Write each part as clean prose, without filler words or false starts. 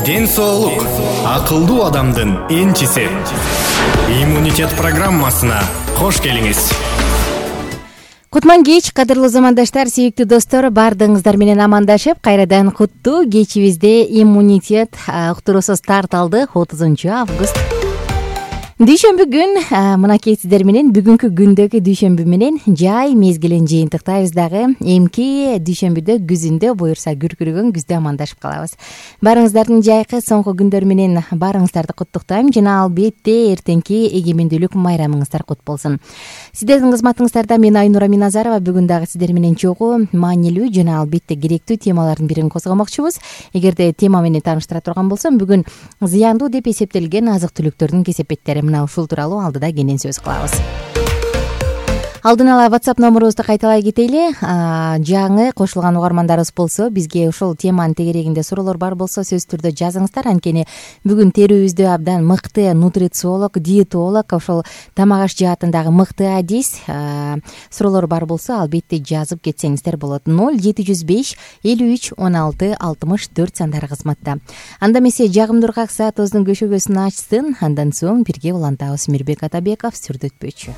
Ден соолук акылдуу адамдын энчиси. Иммунитет программасына кош келиңиз. Кутман кеч, кадырлуу замандаштар, сүйүктүү достор, баардыгыңыздар менен амандашып, кайрадан куттуу кечибизде иммунитет уктуруусу старт алды. 30 август дүйшөмбү күн. Мынакей сиздер менен бүгүнкү күндөгү дүйшөмбү менен жай мезгилин жыйынтыктайбыз дагы. Эмки дүйшөмбүдө күзүндө буюрса күркүрөгөн күздө амандашып калабыз. Баарыңыздардын жайкы соңку күндөр менен баарыңыздарды куттуктайм жана албетте эртеңки эгемендүүлүк майрамыңыздар кут болсун. Сиздердин кызматыңыздарда мен Айнура Миназарова бүгүн дагы сиздер менен чогуу, маанилүү жана албетте керектүү темалардын бирин козгомокчубуз. Эгерде тема менен тааныштыра турган болсом, бүгүн зыяндуу деп эсептелген азык-түлүктөрдүн кесепеттери. Мына ушул тууралуу алдыда кенен сөз кылабыз. Алдын ала WhatsApp номурубузду кайталай кетели. Жаңы кошулган угармандарыбыз болсо, бизге ушул теманын тегерегинде суроолор бар болсо, сөзсүз түрдө жазыңыздар. Анткени бүгүн терүүбүздө абдан мыкты нутрициолог, диетолог, ошол тамак аш жаатындагы мыкты адис суроолор бар болсо, албетте жазып кетсеңиздер болот. 0705 53 16 64 сандары кызматта. Анда эмесе жагымдуу ыргак саатыбыздын көшөгөсүн ачсын. Андан соң бирге улантабыз. Мирбек Атабеков сүрдөтпөчү.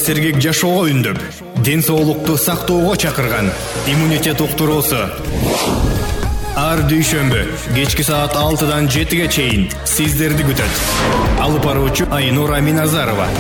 сергек жашоого үндөп, ден соолукту сактоого чакырган иммунитет уктуруусу. Ар дүйшөмбү кечки саат 6-дан 7-ге чейин сиздерди күтөт. Алып баруучу Айнура Миназарова.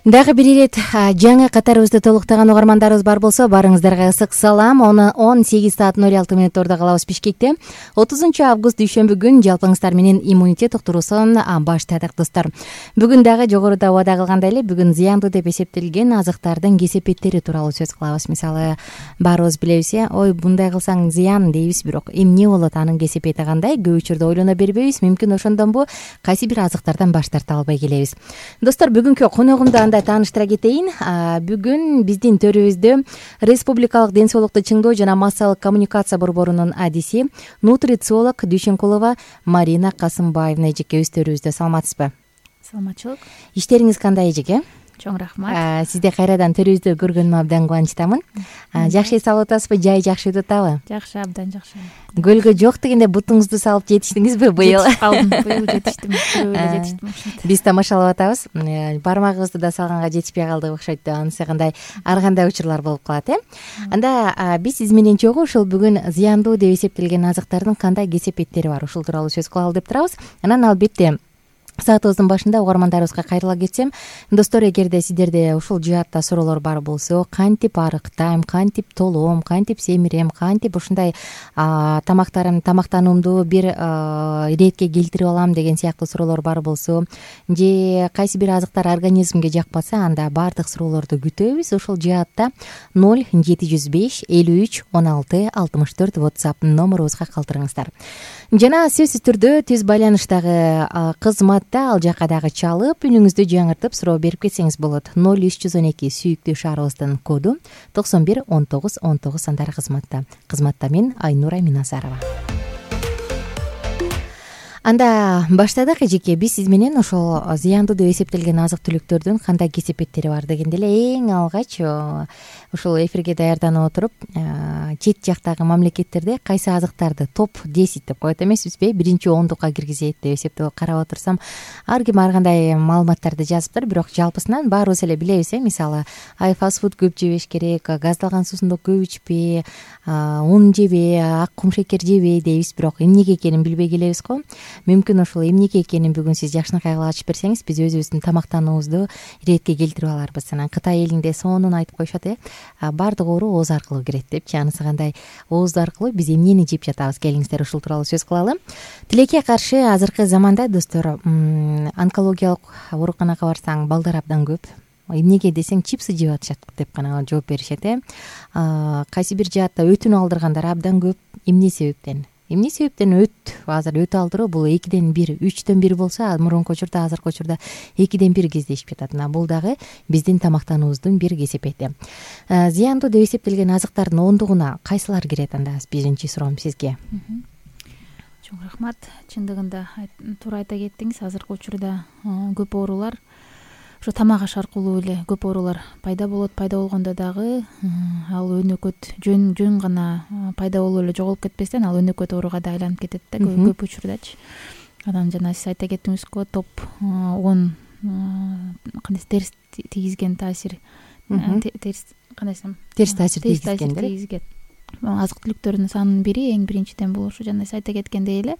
Дагы бир ирет жаңы катарыбызды толуктаган угармандарыбыз бар болсо, барыңыздарга ысык салам. 18:06 калабыз Бишкекте. 30-август дүйшөмбү күн жалпыңыздар менен иммунитет уктуруусун баштадык достор. Бүгүн дагы жогоруда убада кылгандай эле бүгүн зыяндуу деп эсептелген азыктардын кесепеттери тууралуу сөз кылабыз. Мисалы, баарыбыз билебиз, ой мындай кылсаң зыян дейбиз, бирок эмне болот, анын кесепети кандай? Көп учурда ойлоно бербейбиз. Мүмкүн ошондонбу кайсы бир азыктардан баш тарта албай келебиз. Достор, бүгүнкү коногумду тааныштыра кетейин. Бүгүн биздин төрүбүздө Республикалык ден соолукту чыңдоо жана массалык коммуникация борборунун адиси, нутрициолог Дүйшөнкулова Марина Касымбаевна эжекебиз төрүбүздө. Саламатсызбы? Саламатчылык. Иштериңиз кандай, эжеке? Чоң рахмат. Сизди кайрадан төрүбүздө көргөнүмө абдан кубанычтамын. Жакшы эс алып атасызбы? Жай жакшы өтүп атабы? Жакшы, абдан жакшы. Көлгө жок дегенде бутуңузду салып жетиштиңизби быйыл? Жетип калдым. Быйыл жетиштим. Жетиштим. Биз тамашалап атабыз. Бармагыбызды да салганга жетишпей калдык окшойт деп, анысы кандай ар кандай учурлар болуп калат, Анда биз сиз менен чогуу ушул бүгүн зыяндуу деп эсептелген азыктардын кандай кесепеттери бар, ушул тууралуу сөз кылалы деп турабыз. Анан албетте саатыбыздын башында угармандарыбызга кайрыла кетсем, достор, эгерде сиздерде ушул жаатта суроолор бар болсо, кантип арыктайм, кантип толом, кантип семирем, кантип ушундай тамактануумду бир иретке келтирип алам деген сыяктуу суроолор бар болсо, же кайсы бир азыктар организмге жакпаса, анда баардык суроолорду күтөбүз. Ушул жаатта 0705 53 16 64 WhatsApp номерубузга калтырыңыздар. Жана сөзсүз түрдө түз байланыштагы кызматта ал жака дагы чалып, үнүңүздү жаңыртып суроо берип кетсеңиз болот. 0312 сүйүктүү шаарыбыздын коду 91 19 19 сандары кызматта. Кызматта мен Айнура Миназарова. Анда баштадык, эжеке. Биз сиз менен ошол зыяндуу деп эсептелген азык-түлүктөрдүн кандай кесепеттери бар дегенде эле эң алгач ушул эфирге даярданып отуруп, чет жактагы мамлекеттерде кайсы азыктарды топ 10 деп коет эмеспизби? Биринчи ондукка киргизет деп эсептеп карап отурсам, ар ким ар кандай маалыматтарды жазыптыр, бирок жалпысынан баарыбыз эле билебиз, мисалы, фастфуд көп жебеш керек, газдалган суусунду көп ичпе, ун жебе, ак кум шекер жебе дейбиз, бирок эмнеге экенин билбей келебиз го. Мүмкүн ошол эмнеге экенин бүгүн сиз жакшынакай кылып ачып берсеңиз, биз өзүбүздүн тамактануубузду иретке келтирип аларбыз. Анан Кытай элинде сонун айтып коюшат, баардык оору ооз аркылуу кирет депчи. Анысы кандай, ооз аркылуу биз эмнени жеп жатабыз? Келиңиздер ушул тууралуу сөз кылалы. Тилекке каршы азыркы заманда, достор, онкологиялык ооруканага барсаң, балдар абдан көп. Эмнеге десең, чипсы жеп атышат деп гана жооп беришет. Кайсы бир жаатта өтүн алдыргандар абдан көп. Эмне себептен? Эмне себептен азыр өт алдыруу бул 2ден 1, 3дөн 1 болсо, мурунку учурда, азыркы учурда 2ден 1 кездешип жатат. Бул дагы биздин тамактануубуздун бир кесепети. Зыяндуу деп эсептелген азыктардын ондугуна кайсылар кирет? Анда биринчи суроом сизге. Чоң рахмат. Чындыгында туура айта кеттиңиз. Азыркы учурда көп оорулар ошо тамак аш аркылуу эле көп оорулар пайда болот. Пайда болгондо дагы ал өнөкөт жөн гана пайда болуп эле жоголуп кетпестен, ал өнөкөт ооруга да айланып кетет да көп учурдачы. Анан жана сиз айта кеттиңиз го, топ 10 кандай терс тийгизген таасир, терс таасир тийгизген азык-түлүктөрдүн санынын бири, эң биринчиден бул ошо жана сиз айта кеткендей эле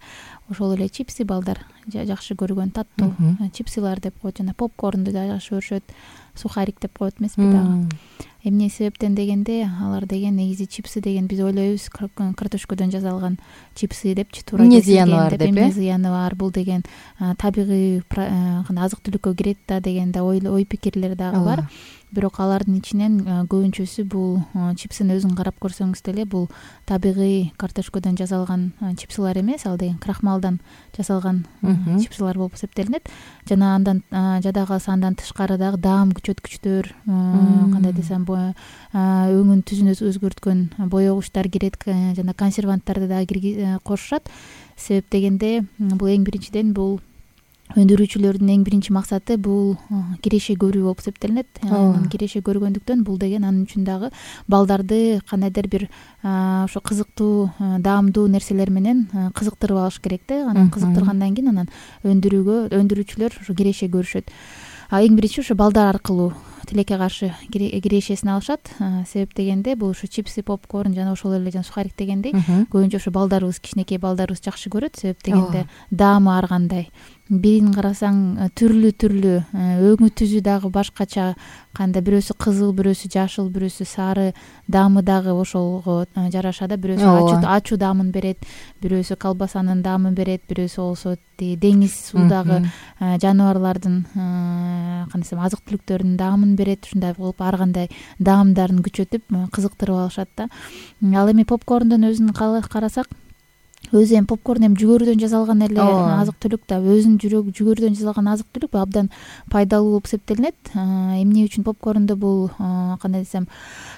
ошол эле чипсы, балдар жакшы көргөн таттуу чипсылар деп коет, жана попкорнду да жакшы көрүшөт, сухарик деп коет эмеспи дагы. Эмне себептен дегенде, алар деген негизи чипсы деген биз ойлойбуз картошкодон жасалган чипсы депчи, туура эмне зыяны бар деп, эмне зыяны бар, бул деген табигый азык-түлүккө кирет да деген да ой пикирлер дагы бар. Бирок алардын ичинен көбүнчөсү бул чипсини өзүн карап көрсөңүз деле, бул табигый картошкодон жасалган чипсылар эмес, ал деген крахмалдан жасалган чипсылар болуп эсептелинет. Жана андан жада калса андан тышкары дагы даам күчөткүчтөр, кандай десем, өңүн түзүн өзгөрткөн боёгучтар кирет, жана консерванттарды дагы кошушат. Себеп дегенде, бул эң биринчиден бул өндүрүүчүлөрдүн эң биринчи максаты бул киреше көрүү болуп эсептелинет. Киреше көргөндүктөн бул деген анын үчүн дагы балдарды кандайдыр бир ошо кызыктуу, даамдуу нерселер менен кызыктырып алыш керек да. Анан кызыктыргандан кийин анан өндүрүүчүлөр ошо киреше көрүшөт. эң биринчи ушу балдар аркылуу тилекке каршы кирешесин алышат. Себеп дегенде бул ушу чипсы, попкорн жана ошол эле жана сухарик дегендей көбүнчө ушу балдарыбыз, кичинекей балдарыбыз жакшы көрөт. Себеп дегенде даамы ар кандай. Бирин карасаң түрлүү өңү түзү дагы башкача, кандай бирөөсү кызыл, бирөөсү жашыл, бирөөсү сары, даамы дагы ошого жараша да. Бирөөсү ачуу даамын берет, бирөөсү колбасанын даамын берет, бирөөсү болсо деңиз суудагы жаныбарлардын кандай десем азык түлүктөрүнүн даамын берет. Ушундай кылып ар кандай даамдарын күчөтүп кызыктырып алышат да. Ал эми попкорндун өзүн карасак, өзү эми попкорн эми жүгөрүдөн жасалган эле азык түлүк да. Өзүнүн жүгөрүдөн жасалган азык түлүк абдан пайдалуу болуп эсептелинет. Эмне үчүн попкорнду бул кандай десем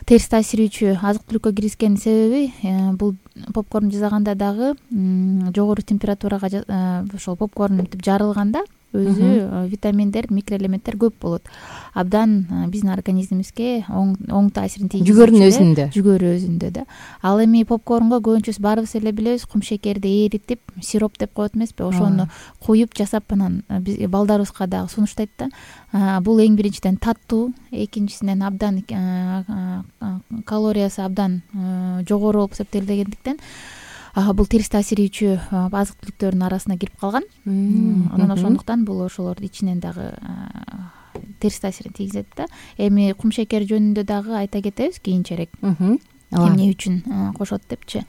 терс таасирүүчү азык түлүккө киргизген себеби, бул попкорн жасаганда дагы жогору температурага ошол попкорн мынтип жарылганда өзү витаминдер, микроэлементтер көп болот. Абдан биздин организмибизге оң таасирин тийгизет. Жүгөрү өзүндө да. Ал эми попкорнго көбүнчөсү баарыбыз эле билебиз, кум шекерди эритип, сироп деп коет эмеспи, ошону куюп жасап анан балдарыбызга дагы сунуштайт да. Бул эң биринчиден таттуу, экинчисинен абдан калориясы абдан жогору болуп эсептелгендиктен бул терс таасирүүчү азык түлүктөрдүн арасына кирип калган. Анан ошондуктан бул ошолордун ичинен дагы терс таасирин тийгизет да. Эми кум шекер жөнүндө дагы айта кетебиз кийинчерээк. Эмне үчүн кошот депчи.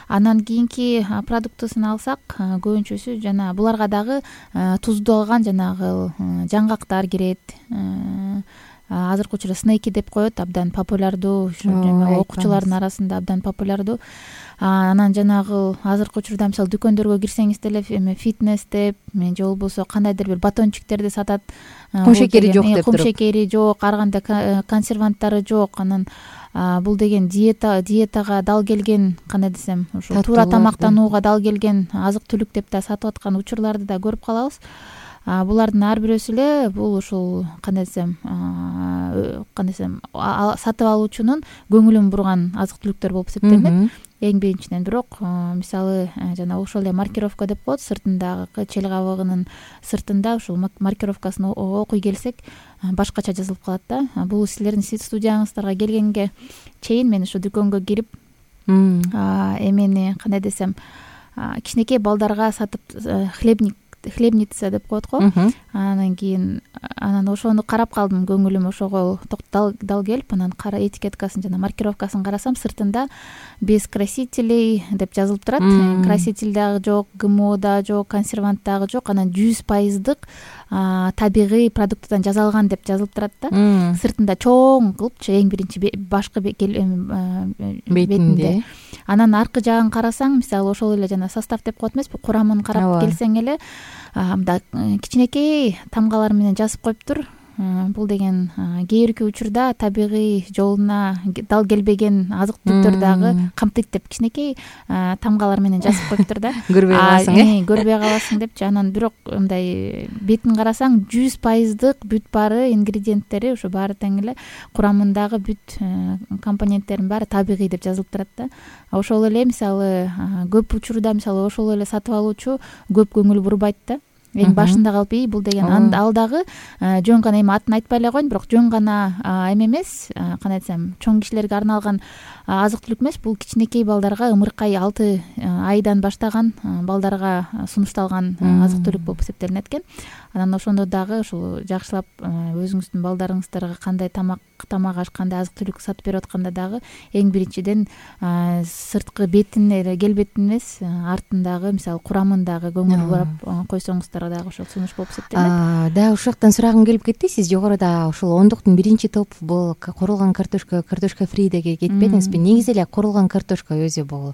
Анан кийинки продуктысын алсак, көбүнчөсү жана буларга дагы туздалган жанагы жаңгактар кирет. Азыркы учурда снеки деп коет, абдан популярдуу, окуучулардын арасында абдан популярдуу. Анан жанагы азыркы учурда мисалы дүкөндөргө кирсеңиз деле эми фитнес деп, же болбосо кандайдыр бир батончиктерди сатат. Кум шекери жок деп туруп. Кум шекери жок, ар кандай консерванттары жок. Анан бул деген диетага дал келген, кандай десем, ушу туура тамактанууга дал келген азык түлүк деп да сатып аткан учурларды да көрүп калабыз. Булардын ар бирөөсү эле бул ушул кандай десем сатып алуучунун көңүлүн бурган азык түлүктөр болуп эсептелинет. Эң биринчиден бирок мисалы жана ошол эле маркировка деп коет, сыртындагы чел кабыгынын сыртында ушул маркировкасын окуй келсек башкача жазылып калат да. Бул силердин студияңыздарга келгенге чейин мен ушу дүкөнгө кирип эмени кандай десем кичинекей балдарга сатып хлебница деп коет го. Анан кийин ошону карап калдым, көңүлүм ошого дал келип, анан этикеткасын жана маркировкасын карасам, сыртында без красителей деп жазылып турат. Краситель дагы жок, ГМО да жок, консервант дагы жок, анан 100% табигый продуктадан жасалган деп жазылып турат да. Сыртында чоң кылыпчы, эң биринчи башкы бетинде. Анан аркы жагын карасаң, мисалы ошол эле жана состав деп коет эмеспи, курамын карап келсең эле мындай кичинекей тамгалар менен жазып коюптур. Бул деген кээ бирки учурда табигый жолуна дал келбеген азык түлүктөр дагы камтыйт деп кичинекей тамгалар менен жазып коюптур да. Көрбөй каласың, көрбөй каласың депчи. Анан бирок мындай бетин карасаң 100% бүт баары ингредиенттери ушу баары тең эле, курамындагы бүт компоненттердин баары табигый деп жазылып турат да. Ошол эле мисалы көп учурда мисалы ошол эле сатып алуучу көп көңүл бурбайт да. Эң башында калып, бул деген ал дагы жөн гана эми атын айтпай эле коеюн, бирок жөн гана эме эмес, кандай десем, чоң кишилерге арналган азык түлүк эмес. Бул кичинекей балдарга, ымыркай 6 айдан баштаган балдарга сунушталган азык түлүк болуп эсептелинет экен. Анан ошондо дагы ушул жакшылап өзүңүздүн балдарыңыздарга кандай тамак аш, кандай азык түлүк сатып берип атканда дагы эң биринчиден сырткы бетин эле, келбетин эмес, артындагы мисалы курамындагы көңүл бурап койсоңуздар дагы ошол сунуш болуп эсептелинет. Да, ушул жактан сурагым келип кетти. Сиз жогоруда ушул ондуктун биринчи топ бул куурулган картошка фри деге кетпедиңизби? Негизи эле куурулган картошка өзү бул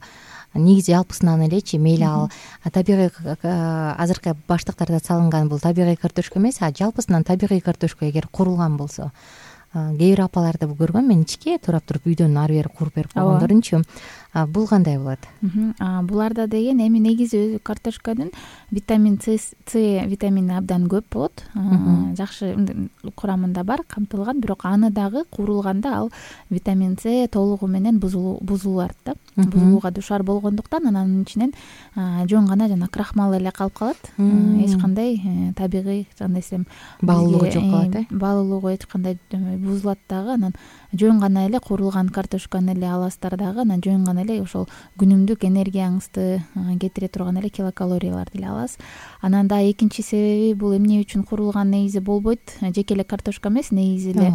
негизи алпысынан элечи, мейли ал табигый азыркы баштыктарда салынган бул табигый картошка эмес, жалпысынан табигый картошка эгер куурулган болсо. Кээ бир апаларды көргөм мен, ичке турап туруп үйдөн ары бери кууруп берип койгондорунчу. Бул кандай болот? Буларда деген эми негизи өзү картошканын витамин С витамини абдан көп болот. Жакшы курамында бар, камтылган, бирок аны дагы куурулганда ал витамин С толугу менен бузулат да. бузулууга дуушар болгондуктан анын ичинен жөн гана жана крахмал эле калып калат. Эч кандай табигый кандай десем баалуулугу жок калат. Баалуулугу эч кандай бузулат дагы. Анан жөн гана эле куурулган картошканы эле аласыздар дагы. Анан жөн гана эле ошол күнүмдүк энергияңызды кетире турган эле килокалорияларды эле аласыз. Анан дагы экинчи себеби бул эмне үчүн куурулган нейизи болбойт? Жеке эле картошка эмес, нейизи эле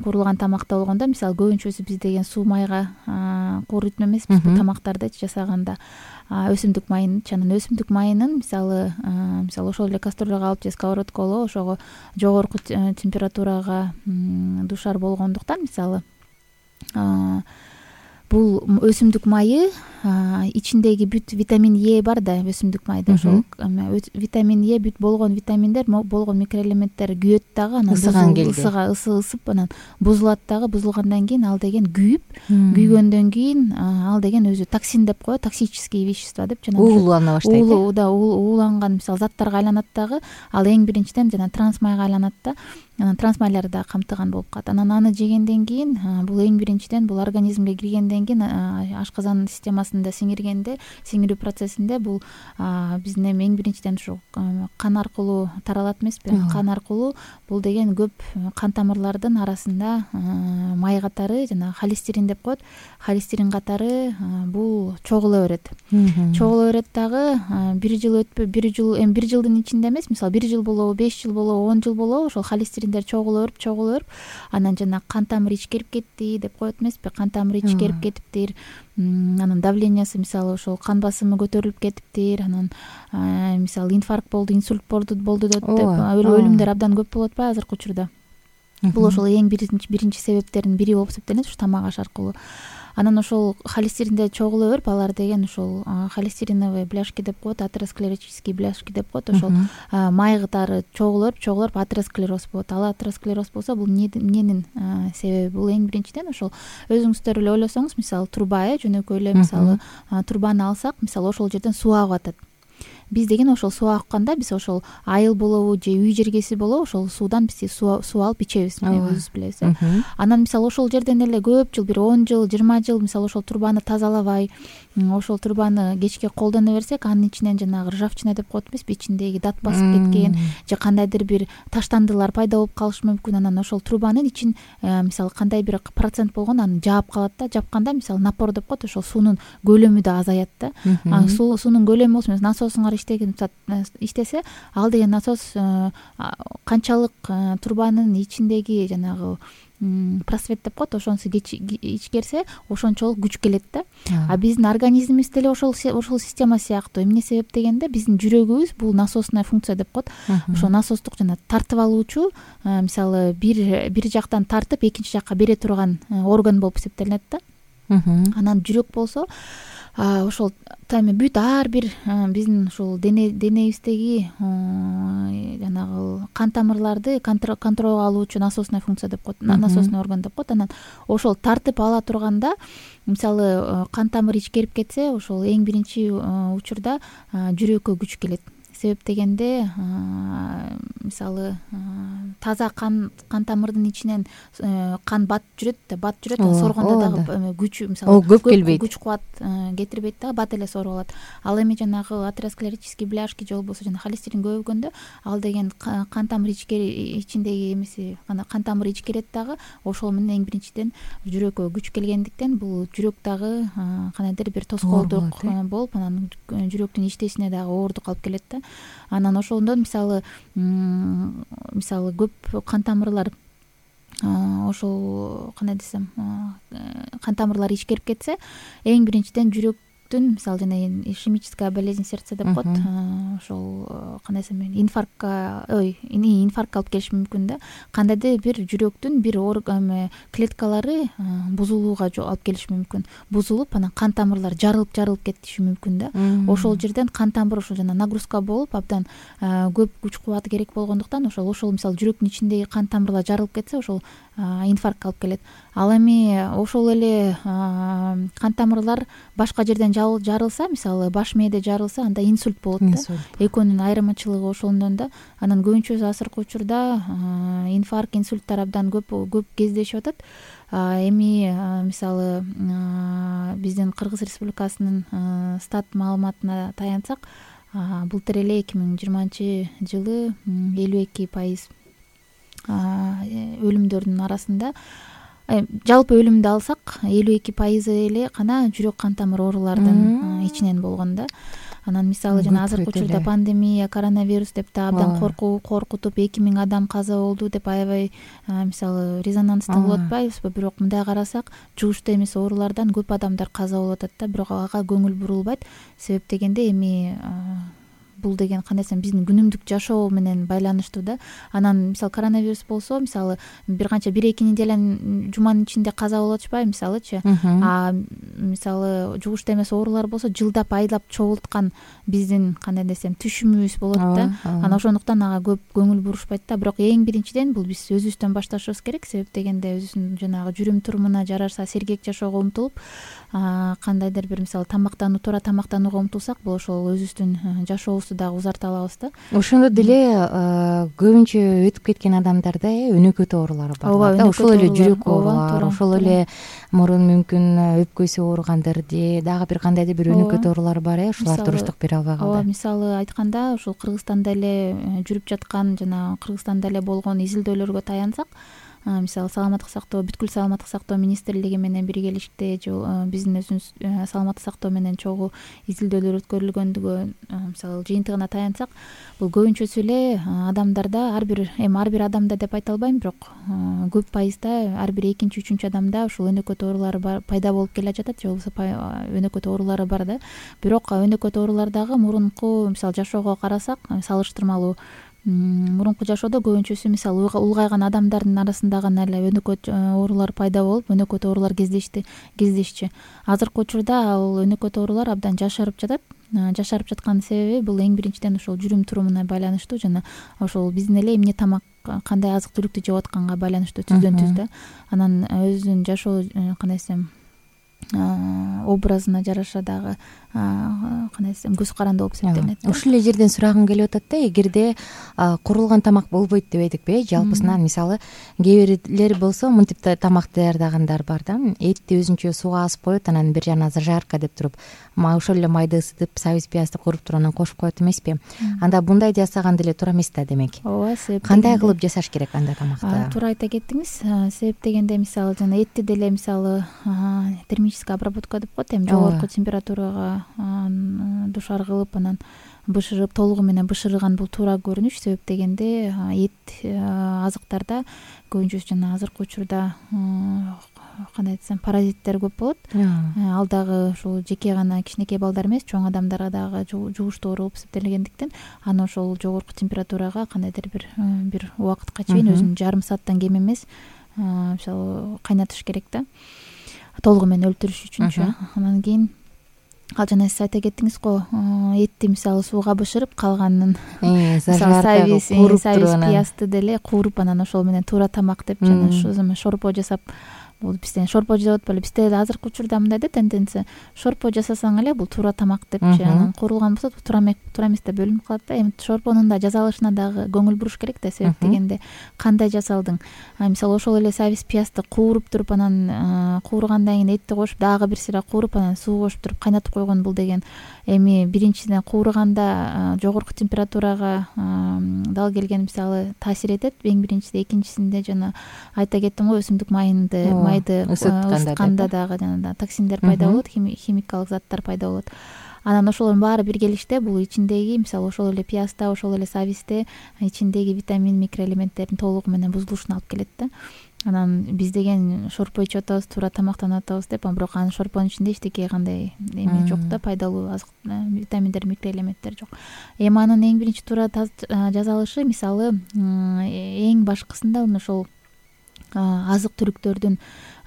куурулган тамакта болгондо, мисалы көбүнчөсү биз деген суу майга кууруйтун эмеспиз тамактарды жасаганда өсүмдүк майынчы. Анан өсүмдүк майынын мисалы ошол эле кастрюляга алып же сковородкого ошого жогорку температурага дуушар болгондуктан мисалы бул өсүмдүк майы ичиндеги бүт витамин Е бар да өсүмдүк майда. Ошол витамин Е бүт болгон витаминдер, болгон микроэлементтер күйөт дагы. Анан ысып анан бузулат дагы. Бузулгандан кийин ал деген күйгөндөн кийин ал деген өзү токсин деп коет, токсические вещества деп жана уулана баштайт. Ууланган мисалы заттарга айланат дагы. Ал эң биринчиден жана трансмайга айланат да. Анан трансмайларды да камтыган болуп калат. Анан аны жегенден кийин бул эң биринчиден бул организмге киргенден кийин ашказан системасында сиңирүү процессинде бул биздин эң биринчиден ушу кан аркылуу таралат эмеспи? Кан аркылуу бул деген көп кан тамырлардын арасында май катары жана холестерин деп коет. Холестерин катары бул чогула берет. Чогула берет дагы. Бир жылдын ичинде эмес, мисалы 1 жыл болобу, 5 жыл болобу, 10 жыл болобу, ошол холестериндер чогула берип анан жана кан тамыры ичкерип кетти деп коет эмеспи? Кан тамыры ичкерип кетиптир. Анан давлениясы мисалы ошол кан басымы көтөрүлүп кетиптир. Анан мисалы инфаркт болду, инсульт болду деп өлүмдөр абдан көп болуп атпайбы азыркы учурда? Бул ошол эң биринчи себептердин бири болуп эсептелет, ушу тамак аш аркылуу. Анан ошол холестеринде чогула берип, алар деген ошол холестериновые бляшки деп коет, атеросклеротические бляшки деп коет. Ошол май катары чогула берип атеросклероз болот. Ал атеросклероз болсо бул эмненин себеби? Бул эң биринчиден ошол өзүңүздөр эле ойлосоңуз, мисалы труба жөнөкөй эле мисалы трубаны алсак, мисалы ошол жерден суу агып атат. Биз деген ошол суу акканда биз ошол айыл болобу же үй жергеси болобу ошол суудан биз суу алып ичебиз, өзүңүз билесиз. Анан мисалы ошол жерден эле көп жыл, бир 10 жыл, 20 жыл мисалы ошол трубаны тазалабай, ошол трубаны кечке колдоно берсек, анын ичинен жанагы ржавчина деп коет эмеспи, ичиндеги дат басып кеткен же кандайдыр бир таштандылар пайда болуп калышы мүмкүн. Анан ошол трубанын ичин мисалы кандай бир процент болгондо аны жаап калат да. Жапканда мисалы напор деп коет, ошол суунун көлөмү да азаят да. Суунун көлөмү болсо насосуңар иштесе, ал деген насос канчалык трубанын ичиндеги жанагы просвет деп коет, ошонусу ичкерсе ошончолук күч келет да. А биздин организмибиз деле ошол система сыяктуу. Эмне себеп дегенде биздин жүрөгүбүз бул насосная функция деп коет. Ошол насостук жана тартып алуучу, мисалы бир жактан тартып экинчи жакка бере турган орган болуп эсептелинет да. Анан жүрөк болсо ошол бүт ар бир биздин ушул денебиздеги жанагы кан тамырларды контролго алуучу насосная функция деп коет, насосный орган деп коет. Анан ошол тартып ала турганда, мисалы кан тамыр ичкерип кетсе, ошол эң биринчи учурда жүрөккө күч келет. Себеп дегенде мисалы таза кан тамырдын ичинен кан бат жүрөт, соргондо дагы күч, мисалы көп келбейт, күч кубат кетирбейт да, бат эле соруп алат. Ал эми жанагы атеросклеротический бляшки же болбосо жана холестерин көбөйгөндө ал деген кан тамыр ичиндеги эмеси кан тамыр ичкерет дагы. Ошол менен эң биринчиден жүрөккө күч келгендиктен бул жүрөк дагы кандайдыр бир тоскоолдук болуп, анан жүрөктүн иштешине дагы оордук алып келет да. Анан ошондон мисалы көп кан тамырлар ошол кандай десем кан тамырлар ичкерип кетсе, эң биринчиден жүрөктүн мисалы жана ишемическая болезнь сердца деп коет, ошол кандай десем инфарктка алып келиши мүмкүн да. Кандайдыр бир жүрөктүн бир клеткалары бузулууга алып келиши мүмкүн. Бузулуп, анан кан тамырлар жарылып кетиши мүмкүн да. Ошол жерден кан тамыр ошол жана нагрузка болуп, абдан көп күч кубат керек болгондуктан ошол мисалы жүрөктүн ичиндеги кан тамырлар жарылып кетсе, ошол инфарктка алып келет. Ал эми ошол эле кан тамырлар башка жерден жарылса, мисалы баш мээде жарылса, анда инсульт болот да. Экөөнүн айырмачылыгы ошондон да. Анан көбүнчөсү азыркы учурда инфаркт, инсульттар абдан көп кездешип атат. Эми мисалы биздин Кыргыз Республикасынын стат маалыматына таянсак, былтыр эле 2020-жылы 52% өлүмдөрдүн арасында, жалпы өлүмдү алсак 52% эле гана жүрөк кан тамыр оорулардын ичинен болгон да. Анан мисалы жана азыркы учурда пандемия, коронавирус деп да абдан коркутуп 2000 адам каза болду деп аябай мисалы резонанстуу болуп атпайбызбы? Бирок мындай карасак, жугуштуу эмес оорулардан көп адамдар каза болуп атат да, бирок ага көңүл бурулбайт. Себеп дегенде эми бул деген кандай десем биздин күнүмдүк жашоо менен байланыштуу да. Анан мисалы коронавирус болсо, мисалы бир канча 1-2 неделянын жуманын ичинде каза болуп атышпайбы мисалычы. Мисалы жугуштуу эмес оорулар болсо жылдап айлап чогулткан биздин кандай десем түшүмүбүз болот да. Анан ошондуктан ага көп көңүл бурушпайт да. Бирок эң биринчиден бул биз өзүбүздөн башташыбыз керек. Себеп дегенде өзүбүздүн жанагы жүрүм турумуна жараша сергек жашоого умтулуп, кандайдыр бир мисалы туура тамактанууга умтулсак, бул ошол өзүбүздүн жашообузду дагы узарта алабыз да. Ошондо деле көбүнчө өтүп кеткен адамдарда өнөкөт оорулары бар да. Ошол эле жүрөк оорулар, ошол эле мурун мүмкүн өпкөсү ооругандыр же дагы бир кандайдыр бир өнөкөт оорулар бар. Ушулар туруштук бере албай калды. Ооба, мисалы айтканда ушул Кыргызстанда эле жүрүп жаткан жана Кыргызстанда эле болгон изилдөөлөргө таянсак, мисалы саламаттык сактоо, бүткүл саламаттык сактоо министрлиги менен биргеликте биздин өзүбүз саламаттык сактоо менен чогуу изилдөөлөр өткөрүлгөндүгү мисалы жыйынтыгына таянсак, бул көбүнчөсү эле адамдарда ар бир адамда деп айта албайм, бирок көп пайызда ар бир 2-3 адамда ушул өнөкөт оорулары пайда болуп келе жатат, же болбосо өнөкөт оорулары бар да. Бирок өнөкөт оорулардагы мурунку мисалы жашоого карасак, салыштырмалуу мурунку жашоодо көбүнчөсү мисалы улгайган адамдардын арасында гана эле өнөкөт оорулар пайда болуп, өнөкөт оорулар кездешчү. Азыркы учурда ал өнөкөт оорулар абдан жашарып жатат. Жашарып жаткан себеби бул эң биринчиден ошол жүрүм турумуна байланыштуу жана ошол биздин эле эмне тамак, кандай азык түлүктү жеп атканга байланыштуу түздөн түз да. Анан өзүнүн жашоо кандай десем образына жараша дагы кандай десем көз каранды болуп эсептелинет. Ушул эле жерден сурагым келип атат да, эгерде курулган тамак болбойт деп айдыкпы, жалпысынан мисалы кээ бирлер болсо мынтип тамак даярдагандар бар да, этти өзүнчө сууга асып коет, анан бир жагынан зажарка деп туруп ошол эле майды ысытып, сабиз пиязды кууруп туруп анан кошуп коет эмеспи? Анда мындай жасаган деле туура эмес да демек. Ооба, себеп кандай кылып жасаш керек андай тамакты? Туура айта кеттиңиз. Себеп дегенде мисалы жана этти деле мисалы термическая обработка деп коет, эми жогорку температурага душар кылып анан бышырып, толугу менен бышырган бул туура көрүнүш. Себеп дегенде эт азыктарда көбүнчөсү жана азыркы учурда кандай десем паразиттер көп болот. Ал дагы ушул жеке гана кичинекей балдар эмес, чоң адамдарга дагы жугуштуу оору болуп эсептелгендиктен аны ошол жогорку температурага кандайдыр бир убакытка чейин өзүнүн жарым сааттан кем эмес мисалы кайнатыш керек да, толугу менен өлтүрүш үчүнчү. Анан кийин ал жана сиз айта кеттиңиз го, этти мисалы сууга бышырып калганын сабиз пиязды деле кууруп анан ошол менен туура тамак деп жана шорпо жасап, бул бизден шорпо деп атпайбы, бизде азыркы учурда мындай да тенденция, шорпо жасасаң эле бул туура тамак депчи, анан куурулган болсо туура эмес деп бөлүнүп калат да. Эми шорпонун да жасалышына дагы көңүл буруш керек да. Себеп дегенде кандай жасалдың? Мисалы ошол эле сабиз пиязды кууруп туруп анан кууругандан кийин этти кошуп дагы бир сыйра кууруп анан суу кошуп туруп кайнатып койгон, бул деген эми биринчиден кууруганда жогорку температурага дал келген мисалы таасир этет эң биринчиде, экинчисинде жана айта кеттим го өсүмдүк майды ысытканда дагы жана токсиндер пайда болот, химикалык заттар пайда болот. Анан ошолордун баары биргелиште бул ичиндеги мисалы ошол эле пиязда, ошол эле сабизде ичиндеги витамин, микроэлементтердин толугу менен бузулушуна алып келет да. Анан биз деген шорпо ичип атабыз, туура тамактанып атабыз деп, бирок анын шорпонун ичинде эчтеке кандай эме жок да, пайдалуу витаминдер, микроэлементтер жок. Эми анын эң биринчи туура жасалышы мисалы эң башкысында ошол азык түлүктөрдүн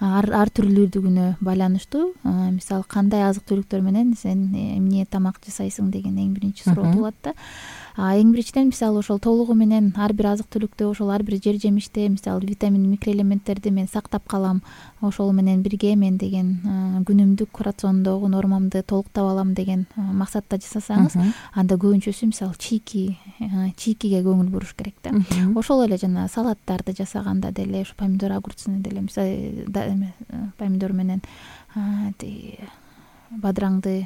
ар түрлүүлүгүнө байланыштуу. Мисалы кандай азык түлүктөр менен сен эмне тамак жасайсың деген эң биринчи суроо туулат да. Эң биринчиден мисалы ошол толугу менен ар бир азык түлүктө, ошол ар бир жер жемиште мисалы витамин, микроэлементтерди мен сактап калам. Ошол менен бирге мен деген күнүмдүк рациондогу нормамды толуктап алам деген максатта жасасаңыз, анда көбүнчөсү мисалы чийкиге көңүл буруш керек да. Ошол эле жана салаттарды жасаганда деле ошо помидор, огурцуну деле мисалы помидор менен бадыраңды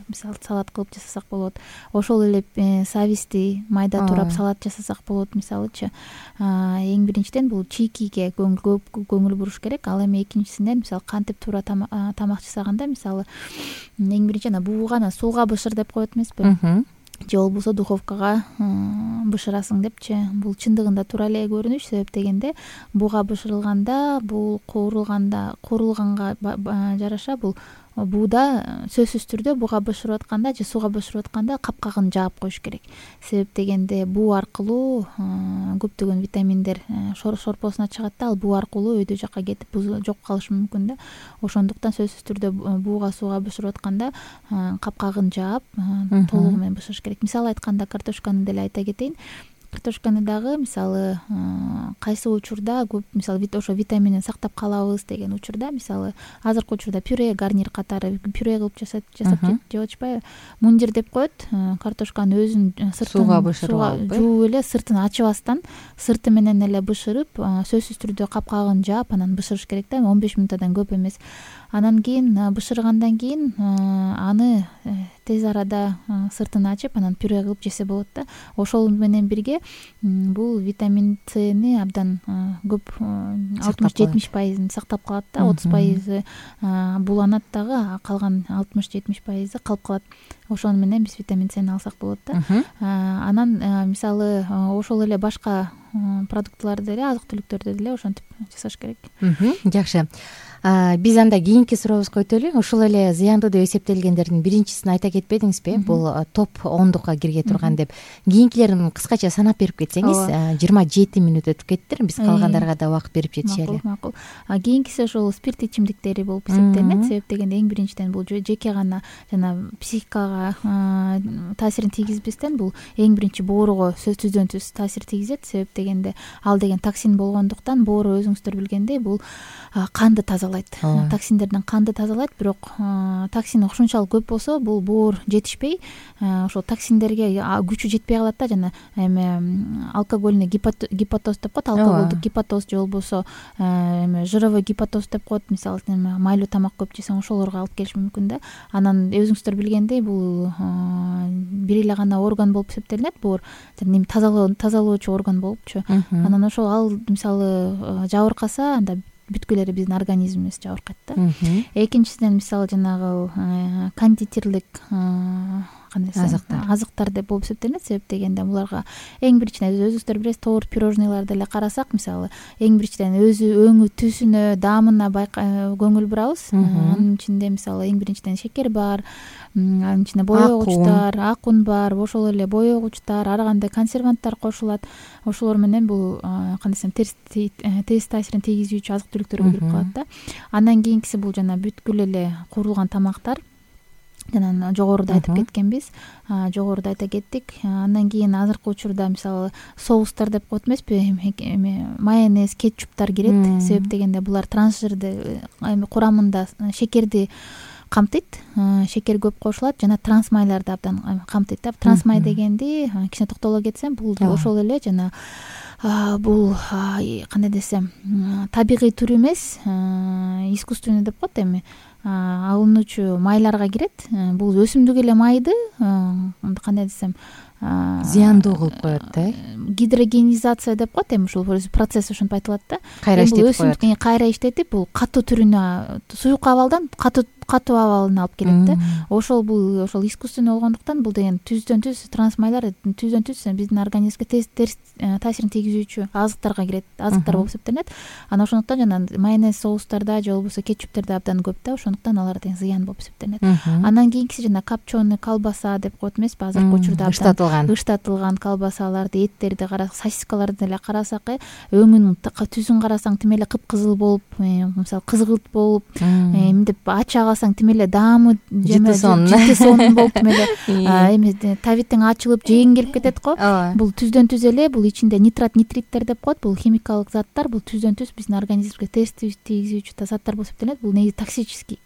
мисалы салат кылып жасасак болот. Ошол эле сабизди майда турап салат жасасак болот мисалычы. Эң биринчиден бул чийкиге көп көңүл буруш керек. Ал эми экинчисинен мисалы кантип туура тамак жасаганда мисалы эң биринчи бууга сууга бышыр деп коет эмеспи? Же болбосо духовкага бышырасың депчи. Бул чындыгында туура эле көрүнүш. Себеп дегенде бууга бышырылганда бул куурулганга жараша бул бууда сөзсүз түрдө бууга бышырып атканда же сууга бышырып атканда капкагын жаап коюш керек. Себеп дегенде буу аркылуу көптөгөн витаминдер шорпосуна чыгат да, ал буу аркылуу өйдө жакка кетип жок калышы мүмкүн да. Ошондуктан сөзсүз түрдө бууга сууга бышырып атканда капкагын жаап толугу менен бышырыш керек. Мисалы айтканда картошканы деле айта кетейин. Картошканы дагы мисалы кайсы учурда көп мисалы ошо витаминин сактап калабыз деген учурда мисалы азыркы учурда пюре, гарнир катары пюре кылып жасап жеп атышпайбы? Мундир деп коет. Картошканы өзүн сыртын жууп эле сыртын ачыбастан сырты менен эле бышырып, сөзсүз түрдө капкагын жаап анан бышырыш керек да, 15 минуттан көп эмес. Анан кийин бышыргандан кийин аны тез арада сыртын ачып анан пюре кылып жесе болот да. Ошол менен бирге бул витамин Сни абдан көп 60-70% сактап калат да, 30% буланат дагы, калган 60-70% калып калат. Ошону менен биз витамин Сни алсак болот да. Анан мисалы ошол эле башка продуктыларды деле, азык түлүктөрдү деле ошентип жасаш керек. Жакшы. Биз анда кийинки сурообузга өтөлү. Ушул эле зыяндуу деп эсептелгендердин биринчисин айта кетпедиңизби? Бул топ 10дукка кирге турган деп. Кийинкилерин кыскача санап берип кетсеңиз, 27 мүнөт өтүп кеттир. Биз калгандарга да убакыт берип жетишели. Макул. Кийинкиси ошол спирт ичимдиктери болуп эсептелинет. Себеп дегенде эң биринчиден бул жеке гана жана психикага таасирин тийгизбестен бул эң биринчи боорго сөзсүздөн түз таасир тийгизет. Себеп дегенде ал деген токсин болгондуктан боору өзүңүздөр билгендей бул канды тазалайт. Токсиндерден канды тазалайт, бирок токсин ушунчалык көп болсо бул боор жетишпей, ошол токсиндерге күчү жетпей калат да, жана эми алкогольный гепатоз деп коет, алкоголдук гепатоз же болбосо эми жировой гепатоз деп коет. Мисалы майлуу тамак көп жесең ошолорго алып келиши мүмкүн да. Анан өзүңүздөр билгендей бул бир эле гана орган болуп эсептелинет, боор жана тазалоочу орган болупчу. Анан ошол ал мисалы жабыркаса анда бүткүлөрү биздин организмибиз жабыркайт да. Экинчисинен мисалы жанагы кондитерлик азыктар деп болуп эсептелинет. Себеп дегенде буларга эң биринчиден өзүңүздөр билесиз, торт, пирожныйларды эле карасак, мисалы эң биринчиден өзү өңү, түсүнө, даамына көңүл бурабыз. Анын ичинде мисалы эң биринчиден шекер бар, анын ичинде боёгучтар, акун бар, ошол эле боёгучтар, ар кандай консерванттар кошулат. Ошолор менен бул кандай десем терс таасирин тийгизүүчү азык түлүктөргө кирип калат да. Андан кийинкиси бул жана бүткүл эле куурулган тамактар. Жана жогоруда айтып кеткенбиз, жогоруда айта кеттик. Андан кийин азыркы учурда мисалы соустар деп коет эмеспи? Майонез, кетчуптар кирет. Себеп дегенде булар трансжирди курамында шекерди камтыйт, шекер көп кошулат жана трансмайларды абдан камтыйт да. Трансмай дегенди кичине токтоло кетсем, бул ошол эле жана бул кандай десем, табигый түр эмес, искусственный деп коет эми. Алынуучу майларга кирет. Бул өсүмдүк эле майды кандай десем, зыяндуу кылып коет да. Гидрогенизация деп коет эми, ушул процесс ошентип айтылат да. Кайра иштетип коет. Кайра иштетип бул катуу түрүнө, суюк абалдан катуу абалына алып келет да. Ошол искусственный болгондуктан бул деген түздөн түз трансмайлар түздөн түз биздин организмге терс таасирин тийгизүүчү азыктарга кирет, азыктар болуп эсептелинет. Анан ошондуктан жана майонез, соустарда же болбосо кетчуптерде абдан көп да, ошондуктан алар деген зыян болуп эсептелинет. Андан кийинкиси жана копченый колбаса деп коет эмеспи? Азыркы учурда ыштатылган колбасаларды, эттерди карасак, сосискаларды деле карасак, өңүнүн түзүн карасаң тим эле кыпкызыл болуп, мисалы кызгылт болуп, эмдеп ачага калсаң тим эле даамы жыты сонун болуп тим эле эме табитиң ачылып жегиң келип кетет го. Бул түздөн түз эле бул ичинде нитриттер деп коет. Бул химикалык заттар, бул түздөн түз биздин организмибизге терс тийгизүүчү заттар болуп эсептелет. Бул негизи токсический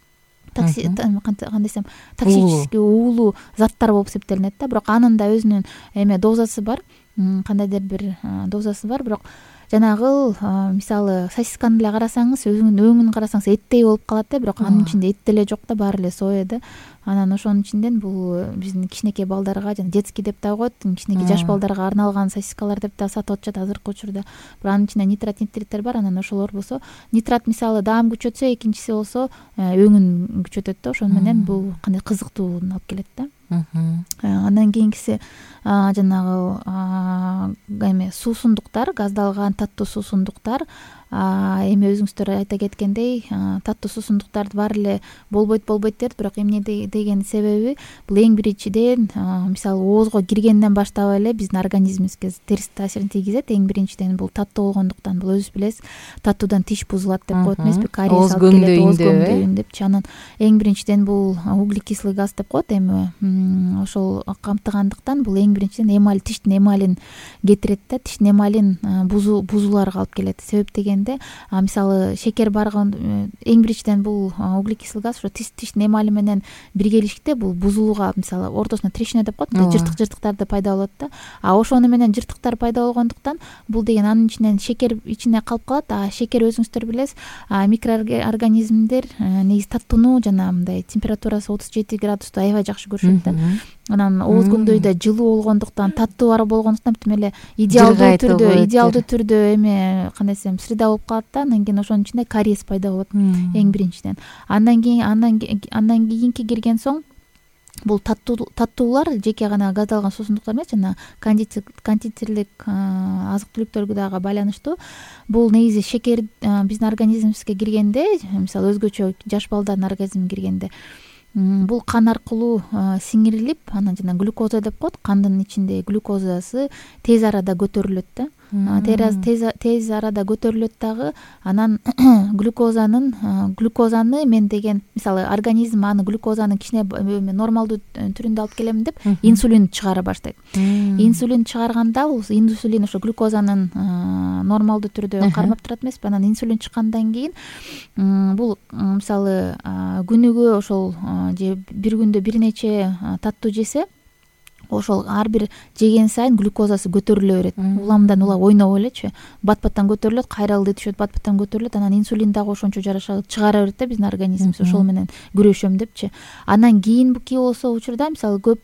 кандай десем токсический уулуу заттар болуп эсептелинет да. Бирок анын да өзүнүн эме дозасы бар, кандайдыр бир дозасы бар. Бирок жанагы мисалы сосисканы эле карасаңыз, өңүн карасаңыз эттей болуп калат да, бирок анын ичинде эт деле жок да, баары эле соя да. Анан ошонун ичинден бул биздин кичинекей балдарга жана детский деп да коет, кичинекей жаш балдарга арналган сосискалар деп да сатып атышат азыркы учурда. Бирок анын ичинде нитриттер бар. Анан ошолор болсо нитрат мисалы даам күчөтсө, экинчиси болсо өңүн күчөтөт да. Ошону менен бул кандай кызыктууну алып келет да. Андан кийинкиси жанагы эме суусундуктар, газдалган таттуу суусундуктар. Эми өзүңүздөр айта кеткендей, таттуу суусундуктарды баары эле болбойт дерт, бирок эмне деген себеби бул эң биринчиден мисалы оозго киргенден баштап эле биздин организмибизге терс таасирин тийгизет. Эң биринчиден бул таттуу болгондуктан, бул өзүбүз билебиз, таттуудан тиш бузулат деп коет эмеспи, кариес алып келет, ооз көңдөйүн депчи. Анан эң биринчиден бул углекислый газ деп коет. Эми ошол камтыгандыктан бул эң биринчиден эмаль, тиштин эмалин кетирет да, тиштин эмалин бузууларга алып келет. Себеп деген мисалы шекер барган эң биринчиден бул углекислый газ ошо тиштин эмали менен биргелишикте бул бузулууга, мисалы ортосуна трещина деп коет, жыртыктарды пайда болот да. Ошону менен жыртыктар пайда болгондуктан бул деген анын ичинен шекер ичине калып калат. Шекер өзүңүздөр билесиз, микроорганизмдер негизи таттууну жана мындай температурасы 37 градусту аябай жакшы көрүшөт да. Анан ооз көңдөйдө жылуу болгондуктан, таттуу бар болгондуктан тим эле идеалдуу түрдө эме кандай десем среда болуп калат да. Андан кийин ошонун ичинде кариес пайда болот эң биринчиден. Андан кийинки кирген соң бул таттуулар жеке гана газдалган суусундуктар эмес, жана кондитерлик азык түлүктөргө дагы байланыштуу. Бул негизи шекер биздин организмибизге киргенде, мисалы өзгөчө жаш балдардын организмине киргенде, бул кан аркылуу сиңирилип, анан жана глюкоза деп коет, кандын ичинде глюкозасы тез арада көтөрүлөт да. Тез арада көтөрүлөт дагы. Анан глюкозаны мен деген мисалы организм аны глюкозаны кичине нормалдуу түрүндө алып келем деп инсулин чыгара баштайт. Инсулин чыгарганда бул инсулин ошо глюкозанын нормалдуу түрдө кармап турат эмеспи. Анан инсулин чыккандан кийин бул мисалы күнүгө ошол же бир күндө бир нече таттуу жесе, ошол ар бир жеген сайын глюкозасы көтөрүлө берет. Уламдан улам ойноп элечи, бат-баттан көтөрүлөт, кайралды түшөт, бат-баттан көтөрүлөт. Анан инсулин дагы ошончо жараша чыгара берет да биздин организмибиз. Ошол менен күрөшөм депчи. Анан кийинки болсо учурда мисалы көп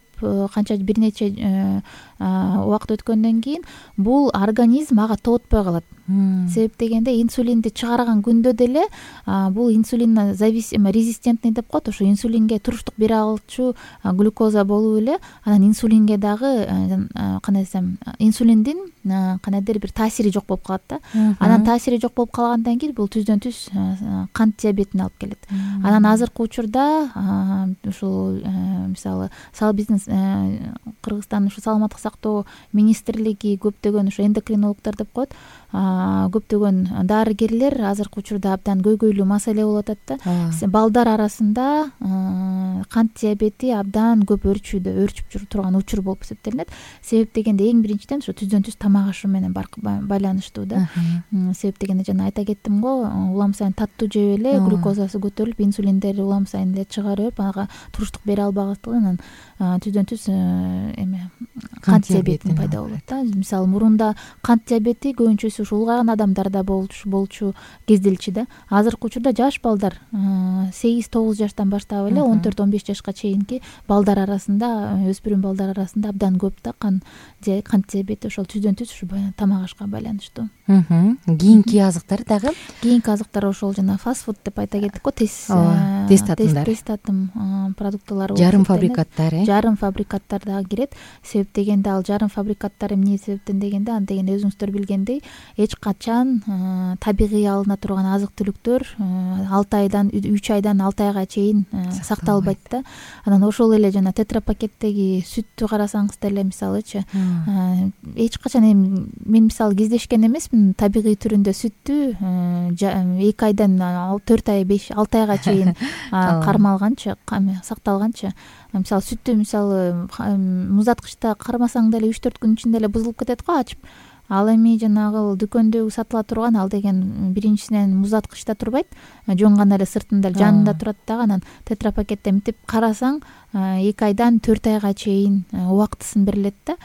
канча бир нече убакыт өткөндөн кийин бул организм ага тоотпой калат. Себеп дегенде инсулинди чыгарган күндө деле бул инсулин резистентный деп коет. Ошо инсулинге туруштук бере алчу глюкоза болуп эле анан инсулинге дагы кандай десем инсулиндин кандайдыр бир таасири жок болуп калат да. Анан таасири жок болуп калгандан кийин бул түздөн түз кант диабетине алып келет. Анан азыркы учурда ушул мисалы биздин Кыргызстандын ушу саламаттык сактоо министрлиги көптөгөн ушу эндокринологдор деп коет, көптөгөн дарыгерлер азыркы учурда абдан көйгөйлүү маселе болуп атат да. Балдар арасында кант диабети абдан көп өрчүп турган учур болуп эсептелинет. Себеп дегенде эң биринчиден ушу түздөн түз тамак ашы менен байланыштуу да. Себеп дегенде жана айта кеттим го, улам сайын таттуу жеп эле глюкозасы көтөрүлүп, инсулиндер улам сайын эле чыгара берип, ага туруштук бере албагандыктан түздөн түз эме кант диабети пайда болот да. Мисалы мурунда кант диабети көбүнчөсү ушу улгайган адамдарда болчу кезделчү да. Азыркы учурда жаш балдар 8-9 жаштан баштап эле 14-15 жашка чейинки балдар арасында, өспүрүм балдар арасында абдан көп да кант диабети. Ошол түздөн түз ушу тамак ашка байланыштуу. Кийинки азыктар дагы? Кийинки азыктар ошол жана фастфуд деп айта кеттик го, тез татым, продуктылар жарым фабрикаттар жарым фабрикаттар дагы кирет. Себеп дегенде ал жарым фабрикаттар эмне себептен дегенде, аны дегенде өзүңүздөр билгендей эч качан табигый алына турган азык түлүктөр 3 айдан 6 айга чейин сакталбайт да. Анан ошол эле жана тетрапакеттеги сүттү карасаңыз деле мисалычы эч качан мен мисалы кездешкен эмесмин табигый түрүндө сүттү 2 айдан 4 ай 5-6 айга чейин кармалганчы, сакталганчы. Мисалы сүттү мисалы муздаткычта кармасаң деле 3-4 күн ичинде эле бузулуп кетет го ачып. Ал эми жанагы дүкөндө сатыла турган ал деген биринчисинен муздаткычта турбайт, жонгон эле сыртында жанында турат дагы. Анан тетрапакетте мынтип карасаң 2 айдан 4 айга чейин убактысын берилет да.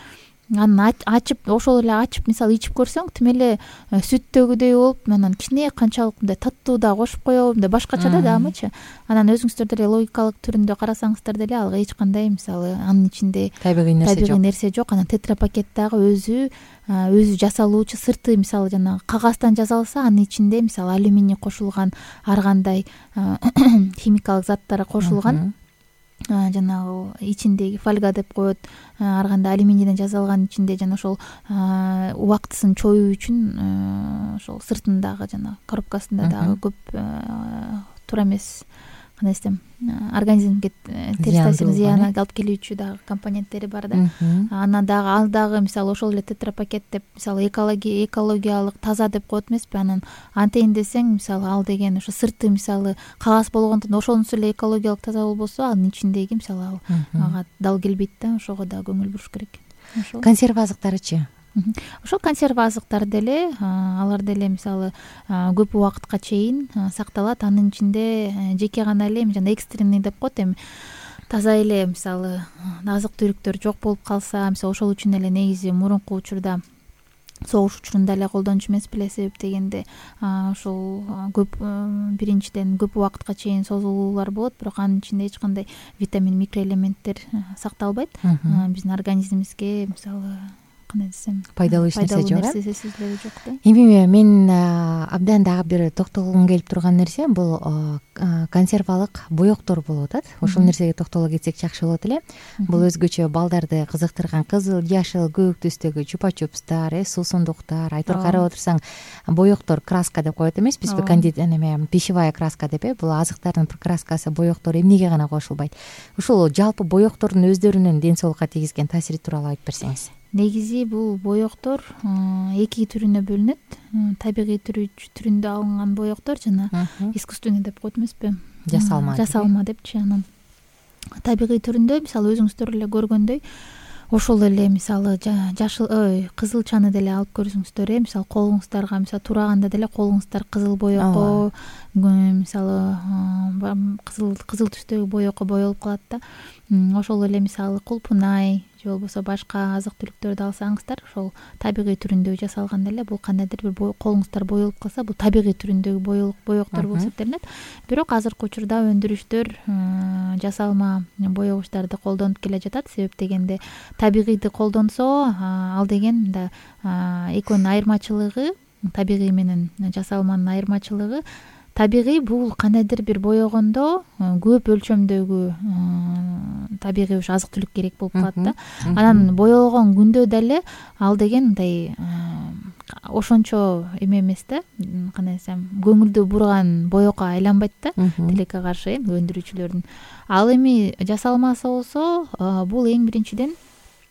Анан ачып ошол эле ачып мисалы ичип көрсөң тим эле сүттөгүдөй болуп, анан кичине канчалык мындай таттуу да кошуп коебу, мындай башкача да дагымычы. Анан өзүңүздөр деле логикалык түрүндө карасаңыздар деле ал эч кандай мисалы анын ичинде табигый нерсе жок. Анан тетрапакет дагы өзү жасалуучу сырты мисалы жанагы кагаздан жасалса, анын ичинде мисалы алюминий кошулган, ар кандай химикалык заттар кошулган. Жанагы ичиндеги фольга деп коет, ар кандай алюминийден жасалган ичинде жана ошол убактысын чоюу үчүн ошол сыртындагы жана коробкасында дагы көп туура эмес, кандай десем, организмге терс таасирин, зыян алып келүүчү дагы компоненттери бар да. Анан дагы ал дагы мисалы ошол эле тетрапакет деп мисалы экологиялык таза деп коет эмеспи. Анан антейин десең мисалы ал деген ошо сырты мисалы кагаз болгондон ошонусу эле экологиялык таза болбосо, анын ичиндеги мисалы ага дал келбейт да. Ошого да көңүл буруш керек. Консерва азыктарычы? Ошол консерва азыктар деле алар деле мисалы көп убакытка чейин сакталат. Анын ичинде жеке гана эле жана экстренный деп коет, эми таза эле мисалы азык түлүктөр жок болуп калса, мисалы ошол үчүн эле негизи мурунку учурда согуш учурунда эле колдончу эмес беле. Себеп дегенде ошол көп биринчиден көп убакытка чейин созулуулар болот, бирок анын ичинде эч кандай витамин, микроэлементтер сакталбайт. Биздин организмибизге мисалы кандай десем пайдалуу нерсе жок да. Эми мен абдан дагы бир токтолгум келип турган нерсе бул консервалык боектор болуп атат. Ошол нерсеге токтоло кетсек жакшы болот эле. Бул өзгөчө балдарды кызыктырган кызыл, жашыл, көк түстөгү чупа-чупстар, суусундуктар, айтор карап отурсаң боектор, краска деп коет эмеспизби? Пищевая краска деп бул азыктардын краскасы, боектор эмнеге гана кошулбайт? Ушул жалпы боектордун өздөрүнүн ден соолукка тийгизген таасири тууралуу айтып берсеңиз. Негизи бул боектор 2 түрүнө бөлүнөт. Табигый түрүндө алынган боектор жана искусственный деп коет эмеспи? Жасалма депчи. Анан табигый түрүндө мисалы өзүңүздөр эле көргөндөй ошол эле мисалы жашыл кызылчаны деле алып көрсөңүздөр, мисалы колуңуздарга мисалы тураганда деле колуңуздар кызыл боекко, мисалы кызыл түстөгү боекко боелуп калат да. Ошол эле мисалы кулпунай же болбосо башка азык түлүктөрдү алсаңыздар, ошол табигый түрүндө жасалган эле бул кандайдыр бир колуңуздар боелуп калса, бул табигый түрүндөгү боектор болуп эсептелинет. Бирок азыркы учурда өндүрүштөр жасалма боегучтарды колдонуп келе жатат. Себеп дегенде табигыйды колдонсо, ал деген мында экөөнүн айырмачылыгы, табигый менен жасалманын айырмачылыгы, табигый бул кандайдыр бир боегондо көп өлчөмдөгү табигый ушу азык түлүк керек болуп калат да. Анан боелгон күндө деле ал деген мындай ошончо эме эмес да, кандай десем, көңүлдү бурган боекко айланбайт да, тилекке каршы өндүрүүчүлөрдүн. Ал эми жасалмасы болсо, бул эң биринчиден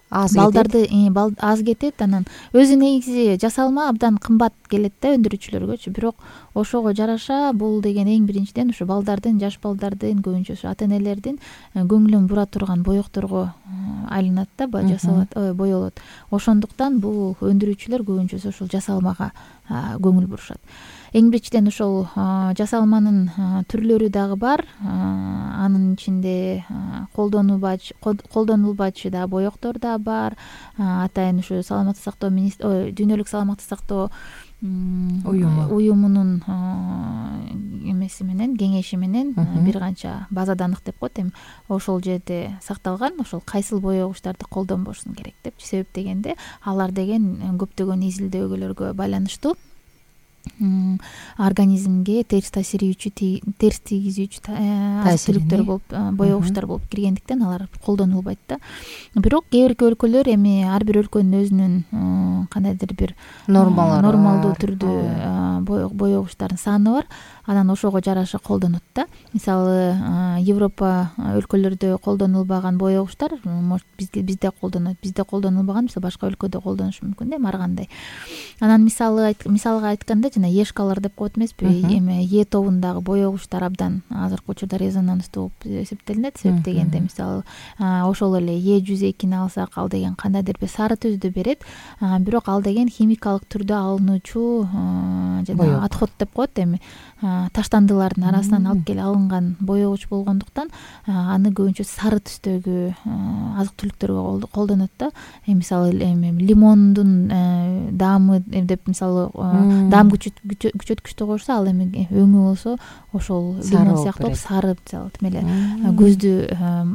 балдарды аз кетет. Анан өзү негизи жасалма абдан кымбат келет да өндүрүүчүлөргөчү. Бирок ошого жараша бул деген эң биринчиден ушу балдардын, жаш балдардын, көбүнчө ата-энелердин көңүлүн бура турган боекторго айланат да, жасалат, боелот. Ошондуктан бул өндүрүүчүлөр көбүнчөсү ошол жасалмага көңүл бурушат. Эң биринчиден ошол жасалманын түрлөрү дагы бар. Анын ичинде колдонулбачы да боектор да бар. Атайын ушу саламаттык сактоо дүйнөлүк саламаттык сактоо уюмунун эмеси менен, кеңеши менен бир канча базаданык деп коет. Эми ошол жерде сакталган, ошол кайсыл боегучтарды колдонбошсун керек деп. Себеп дегенде алар деген көптөгөн изилдөөгөлөргө байланыштуу. организмге терс терс тийгизүүчү азык түлүктөр болуп боегучтар болуп киргендиктен алар колдонулбайт да. Бирок кээ бир өлкөлөр эми ар бир өлкөнүн өзүнүн кандайдыр бир нормалдуу түрдүү боегучтардын саны бар. Анан ошого жараша колдонот да. Мисалы Европа өлкөлөрдө колдонулбаган боегучтар бизде колдонот. Бизде колдонулбаган мисалы башка өлкөдө колдонушу мүмкүн да, ар кандай. Анан мисалга айтканда жана ешкалар деп коет эмеспи, эми Е тобундагы боегучтар абдан азыркы учурда резонанстуу болуп эсептелинет. Себеп дегенде мисалы ошол эле Е102-ни алсак, ал деген кандайдыр бир сары түздү берет, бирок ал деген химикалык түрдө алынуучу жана отход деп коет, эми таштандылардын арасынан алып келе алынган боегуч болгондуктан аны көбүнчө сары түстөгү азык түлүктөргө колдонот да. Мисалы лимондун даамы деп мисалы даам күчөткүчтү коюшса, ал эми өңү болсо ошол лимон сыяктуу сары мисалы эле көздү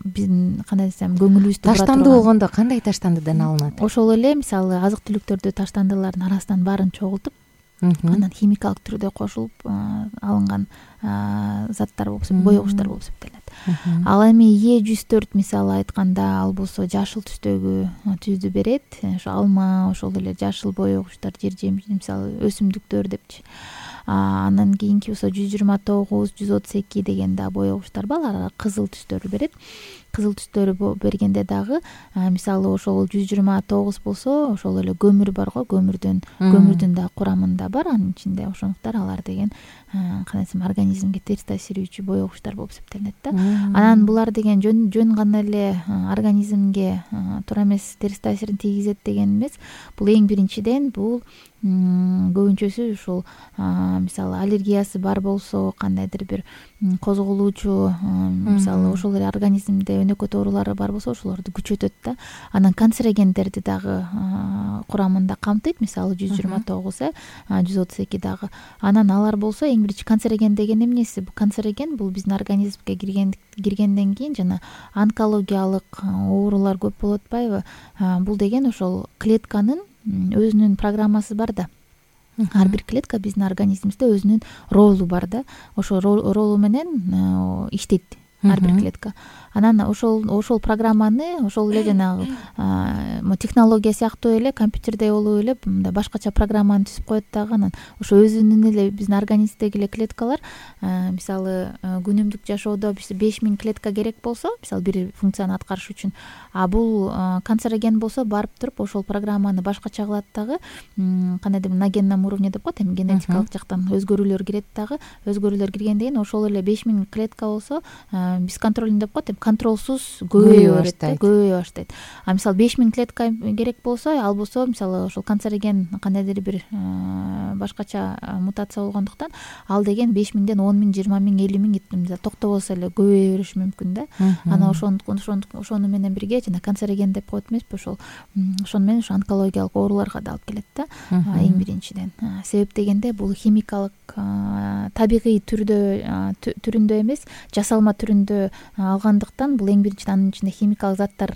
биздин кандай десем көңүлүбүздү бура турган. Таштанды болгондо кандай таштандыдан алынат? Ошол эле мисалы азык түлүктөрдү таштандылардын арасынан баарын чогултуп, анан химикалык түрдө кошулуп алынган заттар болуп боегучтар болуп эсептелет. Ал эми Е104 мисалы айтканда, ал болсо жашыл түстөгү түздү берет. Ошо алма, ошол эле жашыл боегучтар, жер жемиш мисалы өсүмдүктөр депчи. Андан кийинки болсо 129, 132 деген да боегучтар бар, алар кызыл түстөрдү берет. Кызыл түстөрү бергенде дагы мисалы ошол 129 болсо ошол эле көмүр барго, көмүрдүн да курамында бар, анын ичинде ошондуктан алар деген кандай десем организмге терс таасирүүчү боегучтар болуп эсептелинет да. Анан булар деген жөн гана эле организмге туура эмес терс таасирин тийгизет деген эмес. Бул эң биринчиден бул көбүнчөсү ушул мисалы аллергиясы бар болсо, кандайдыр бир козголуучу мисалы ошол эле организмде өнөкөт оорулары бар болсо, ошолорду күчөтөт да. Анан канцерогендерди дагы курамында камтыйт, мисалы 129, 132 дагы. Анан алар болсо эң биринчи канцероген деген эмнеси? Бул канцероген бул биздин организмге киргенден кийин жана онкологиялык оорулар көп болуп атпайбы? Бул деген ошол клетканын өзүнүн программасы бар да. Ар бир клетка биздин организмибизде өзүнүн ролу бар да. Ошол ролу менен иштейт ар бир клетка. Анан ошол программаны ошол эле жанагы технология сыяктуу эле компьютерде болуп эле мындай башкача программаны түзүп коет дагы. Анан ошо өзүнүн эле биздин организмдеги эле клеткалар мисалы күнүмдүк жашоодо 5000 клетка керек болсо, мисалы бир функцияны аткарыш үчүн, а бул канцероген болсо барып туруп ошол программаны башкача кылат дагы. Кандайдыр на генном уровне деп коет, эми генетикалык жактан өзгөрүүлөр кирет дагы. Өзгөрүүлөр киргенден кийин ошол эле 5000 клетка болсо бесконтрольный деп коет, контролсуз көбөйө баштайт. А мисалы 5000 клетка керек болсо, ал болсо мисалы ошол канцероген кандайдыр бир башкача мутация болгондуктан ал деген 5000ден 10000, 20000, 50000 токтобосо эле көбөйө бериши мүмкүн да. Анан ошону менен бирге жана канцероген деп коет эмеспи, ошону менен ошо онкологиялык ооруларга да алып келет да. Эң биринчиден себеп дегенде бул химикалык табигый түрүндө эмес, жасалма түрүндө алгандыктан бул эң биринчиден анын ичинде химикалык заттар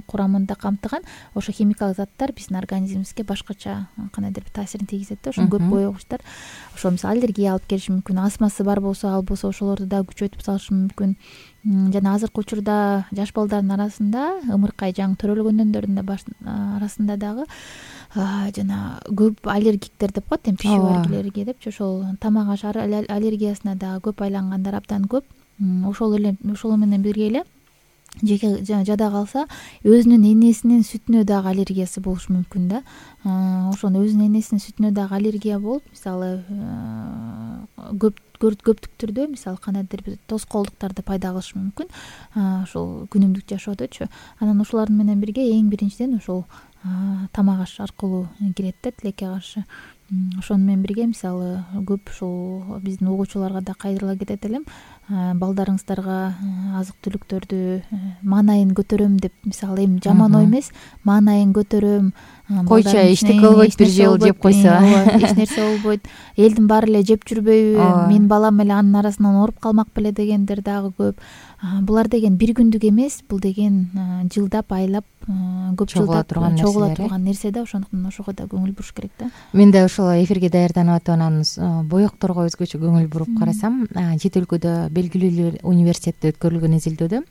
курамында камтыган. Ошо химикалык заттар биздин организмибизге башкача кандайдыр бир таасирин тийгизет да. Ошо көп боегучтар ошо мисалы аллергия алып келиши мүмкүн, астмасы бар болсо, ал болсо ошолорду да күчөтүп салышы мүмкүн. Жана азыркы учурда жаш балдардын арасында ымыркай жаңы төрөлгөндөрдүн арасында дагы жана көп аллергиктер деп коет, пищевой депчи, ошол тамак аш аллергиясына дагы көп айлангандар абдан көп. Ошол менен бирге эле жеке жада калса өзүнүн энесинин сүтүнө дагы аллергиясы болушу мүмкүн да. Ошону өзүнүн энесинин сүтүнө дагы аллергия болуп, мисалы көптүк түрдө мисалы кандайдыр бир тоскоолдуктарды пайда кылышы мүмкүн ошол күнүмдүк жашоодочу. Анан ошолардын менен бирге эң биринчиден ошол тамак аш аркылуу кирет да тилекке каршы. Ошону менен бирге мисалы көп ушул биздин угуучуларга да кайрыла кетет элем. балдарыңыздарга азык түлүктөрдү маанайын көтөрөм деп, мисалы эми жаман ой эмес, маанайын көтөрөм, койчу эчтеке болбойт, бир жолу жеп койсо эч нерсе болбойт, элдин баары эле жеп жүрбөйбү, менин балам эле анын арасынан ооруп калмак беле дегендер дагы көп. Булар деген бир күндүк эмес, бул деген жылдап, айлап, көп жылдап чогула турган нерсе да, ошондуктан ошого да көңүл буруш керек да. Мен да ошол эфирге даярданып атып анан боекторго өзгөчө көңүл буруп карасам, чет өлкөдө белгилүү университетте өткөрүлгөн изилдөөдө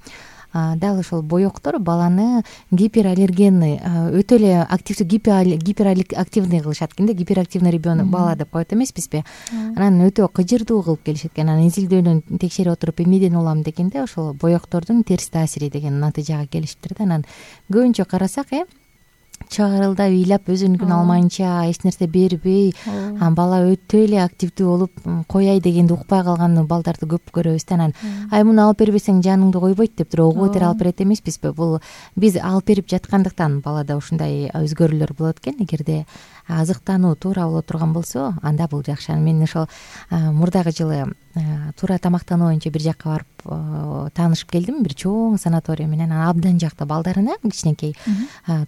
дал ошол боектор баланы гипераллергенный, өтө эле активдүү гиперактивный кылышат экен да, гиперактивный ребенок бала деп коет эмеспизби. Анан өтө кыжырдуу кылып келишет экен. Анан изилдөөнү текшерип отуруп эмнеден улам дегенде ошол боектордун терс таасири деген натыйжага келишиптир да. Анан көбүнчө карасак чыгарылдап ыйлап өзүнүкүн алмайынча, эч нерсе бербей, бала өтө эле активдүү болуп кояй дегенди укпай калган балдарды көп көрөбүз да. Анан муну алып бербесең жаныңды койбойт деп туруп угуп этери алып берет эмеспизби? Бул биз алып берип жаткандыктан балада ушундай өзгөрүүлөр болот экен. Эгерде азыктануу туура боло турган болсо, анда бул жакшы. Мен ошол мурдагы жылы туура тамактануу боюнча бир жакка барып таанышып келдим, бир чоң санаторий менен. Абдан жакты балдарына кичинекей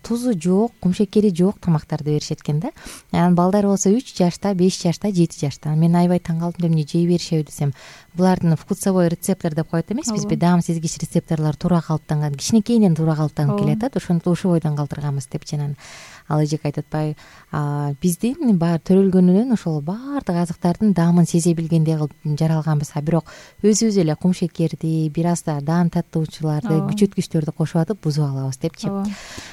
тузу жок, кумшекери жок тамактарды беришет экен да. Анан балдар болсо 3 жашта, 5 жашта, 7 жашта. Мен аябай таң калдым, эмне жей беришеби десем, булардын вкусовой рецептор деп коет эмеспизби? Даам сезгич рецепторлор туура калыптанган, кичинекейинен туура калыптанып келет. Ошондо ушул бойдон калтырганбыз деп жанан ал эжек айтып атпайбы, биздин баары төрөлгөнүнөн ошол баардык азыктардын даамын сезе билгендей кылып жаралганбыз. Бирок өзүбүз эле кумшекерди, бир аз да даам таттоочуларды, күчөткүчтөрдү кошуп атып бузуп алабыз депчи.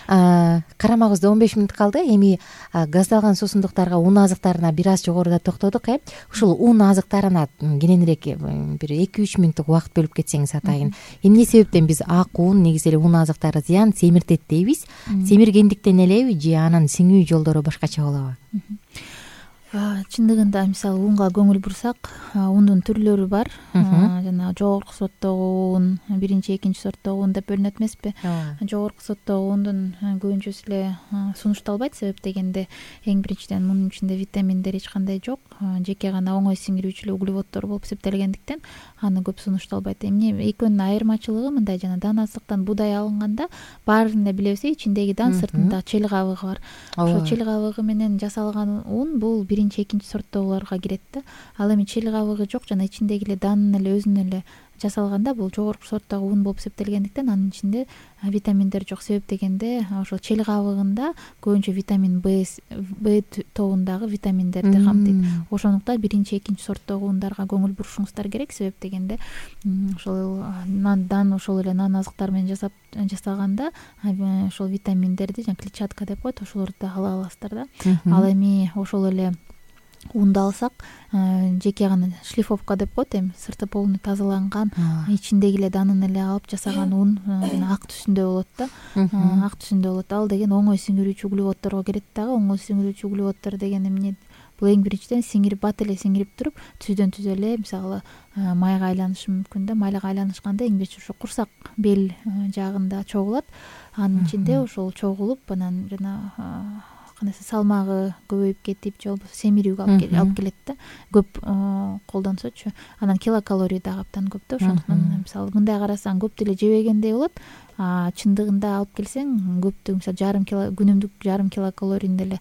Карамагыбызда 15 мүнөт калды. Эми газдалган суусундуктарга, ун азыктарына бир аз жогоруда токтодук. Ушул ун азыктарына кененирээк бир 2-3 мүнөттүк убакыт бөлүп кетсеңиз атайын. Эмне себептен биз ак ун, негизи эле ун азыктары зыян, семиртет дейбиз? Семиргендиктен элеби же анын сиңүү жолдору башкача болобу? Чындыгында мисалы унга көңүл бурсак, ундун түрлөрү бар. Жана жогорку сорттогу ун, биринчи, экинчи сорттогу ун деп бөлүнөт эмеспи? Жогорку сорттогу ундун көбүнчөсү эле сунушталбайт. Себеп дегенде эң биринчиден мунун ичинде витаминдер эч кандай жок. Жеке гана оңой сиңирүүчү углеводдор болуп эсептелгендиктен аны көп сунушталбайт. Эмне экөөнүн айырмачылыгы мындай, жана дан азыктан будай алынганда баарын эле билебиз, ичиндеги дан, сыртында чел кабыгы бар. Ошо чел кабыгы менен жасалган ун бул биринчи, экинчи сорттогуларга кирет да. Ал эми чел кабыгы жок жана ичиндеги эле данын эле өзүнөн эле жасалганда бул жогорку сорттогу ун болуп эсептелгендиктен анын ичинде витаминдер жок. Себеп дегенде ошол чел кабыгында көбүнчө витамин Б тобундагы витаминдерди камтыйт. Ошондуктан биринчи, экинчи сорттогу ундарга көңүл бурушуңуздар керек. Себеп дегенде ошол дан, ошол эле нан азыктар менен жасаганда ошол витаминдерди, жана клетчатка деп коет, ошолорду да ала аласыздар да. Ал эми ошол эле унду алсак, жеке гана шлифовка деп коет, эми сырты полный тазаланган, ичиндеги эле данын эле алып жасаган ун жана ак түсүндө болот да. Ак түсүндө болот. Ал деген оңой сиңирүүчү углеводдорго кирет дагы. Оңой сиңирүүчү углеводдор деген эмне? Бул эң биринчиден сиңирип, бат эле сиңирип туруп, түздөн түз эле мисалы майга айланышы мүмкүн да. Майга айланышканда эң биринчи ошо курсак бел жагында чогулат. Анын ичинде ошол чогулуп, анан жана кандайсы салмагы көбөйүп кетип, же болбосо семирүүгө алып келет да. Көп колдонсочу. Анан килокалорий дагы абдан көп да. Ошондуктан мисалы мындай карасаң көп деле жебегендей болот. Чындыгында алып келсең көптүгү мисалы күнүмдүк 1,5 килокалорийни деле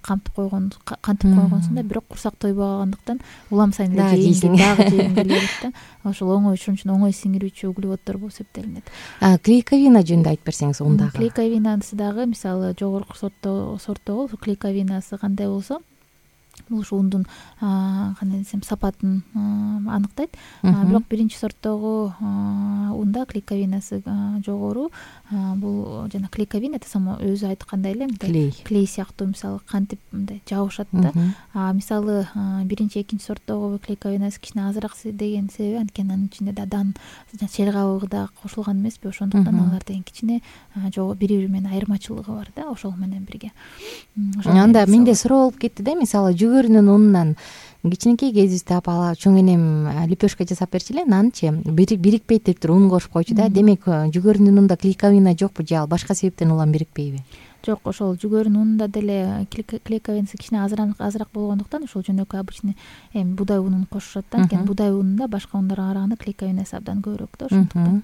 кантып койгонсуң да. Бирок курсак тойбой калгандыктан улам сайын эле жейсиң, дагы жегиң келе берет да. Ошол оңой, ошон үчүн оңой сиңирүүчү углеводдор болуп эсептелинет. Клейковина жөнүндө айтып берсеңиз ундагы. Клейковинасы дагы мисалы жогорку сорттогу клейковинасы кандай болсо, бул ушу ундун кандай десем сапатын аныктайт. Бирок биринчи сорттогу унда клейковинасы жогору. Бул жана клейковина само өзү айткандай эле мындай клей сыяктуу, мисалы кантип мындай жабышат да. Мисалы биринчи, экинчи сорттогу клейковинасы кичине азыраак деген себеби анткени анын ичинде да дан, чел кабыгы да кошулган эмеспи? Ошондуктан алар деген кичине бири-бири менен айырмачылыгы бар да, ошол менен бирге. Анда менде суроо болуп кетти да, мисалы жүгөрүнүн унунан кичинекей кезибизде апа чоң энем лепешка жасап берчү нанчы бирикпейт деп туруп ун кошуп койчу да. Демек жүгөрүнүн унунда клейковина жокпу же ал башка себептен улам бирикпейби? Жок, ошол жүгөрүнүн унунда деле клейковинасы кичине азыраак болгондуктан ошол жөнөкөй обычный эми будай унун кошушат да. Анткени будай унунда башка ундарга караганда клейковинасы абдан көбүрөөк да, ошондуктан.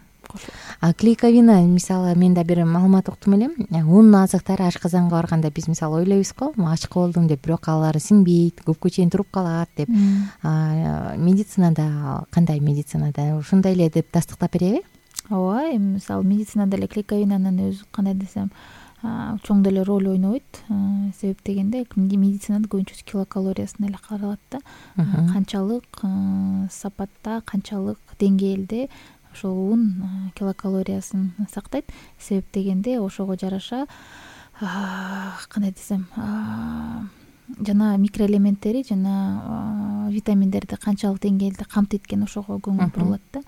Клейковина, мисалы мен да бир маалымат уктум элем. Ун азыктары ашказанга барганда биз мисалы ойлойбуз го, ачка болдум деп, бирок алар сиңбейт, көпкө чейин туруп калат деп. Медицинада кандай, медицинада ушундай эле деп тастыктап береби? Ооба, эми мисалы медицинада эле клейковинанын өзү кандай десем чоң деле роль ойнобойт. Себеп дегенде медицинада көбүнчөсү килокалориясына эле каралат да. Канчалык сапатта, канчалык деңгээлде ошол ун килокалориясын сактайт. Себеп дегенде ошого жараша кандай десем жана микроэлементтери жана витаминдерди канчалык деңгээлде камтыйт экен ошого көңүл бурулат да.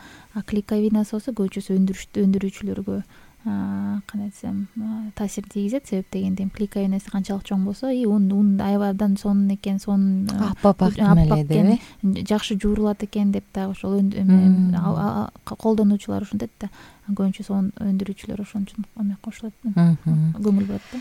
Клейковинасы болсо көбүнчөсү өндүрүүчүлөргө кандай десем таасир тийгизет. Себеп дегенде клейковинасы канчалык чоң болсо, ун аябай абдан сонун экен, сонун аппак экен, жакшы жуурулат экен деп дагы ошол колдонуучулар ушинтет да. Көбүнчөсү өндүрүүчүлөр ошон үчүн эме кошулат, көңүл бурат да.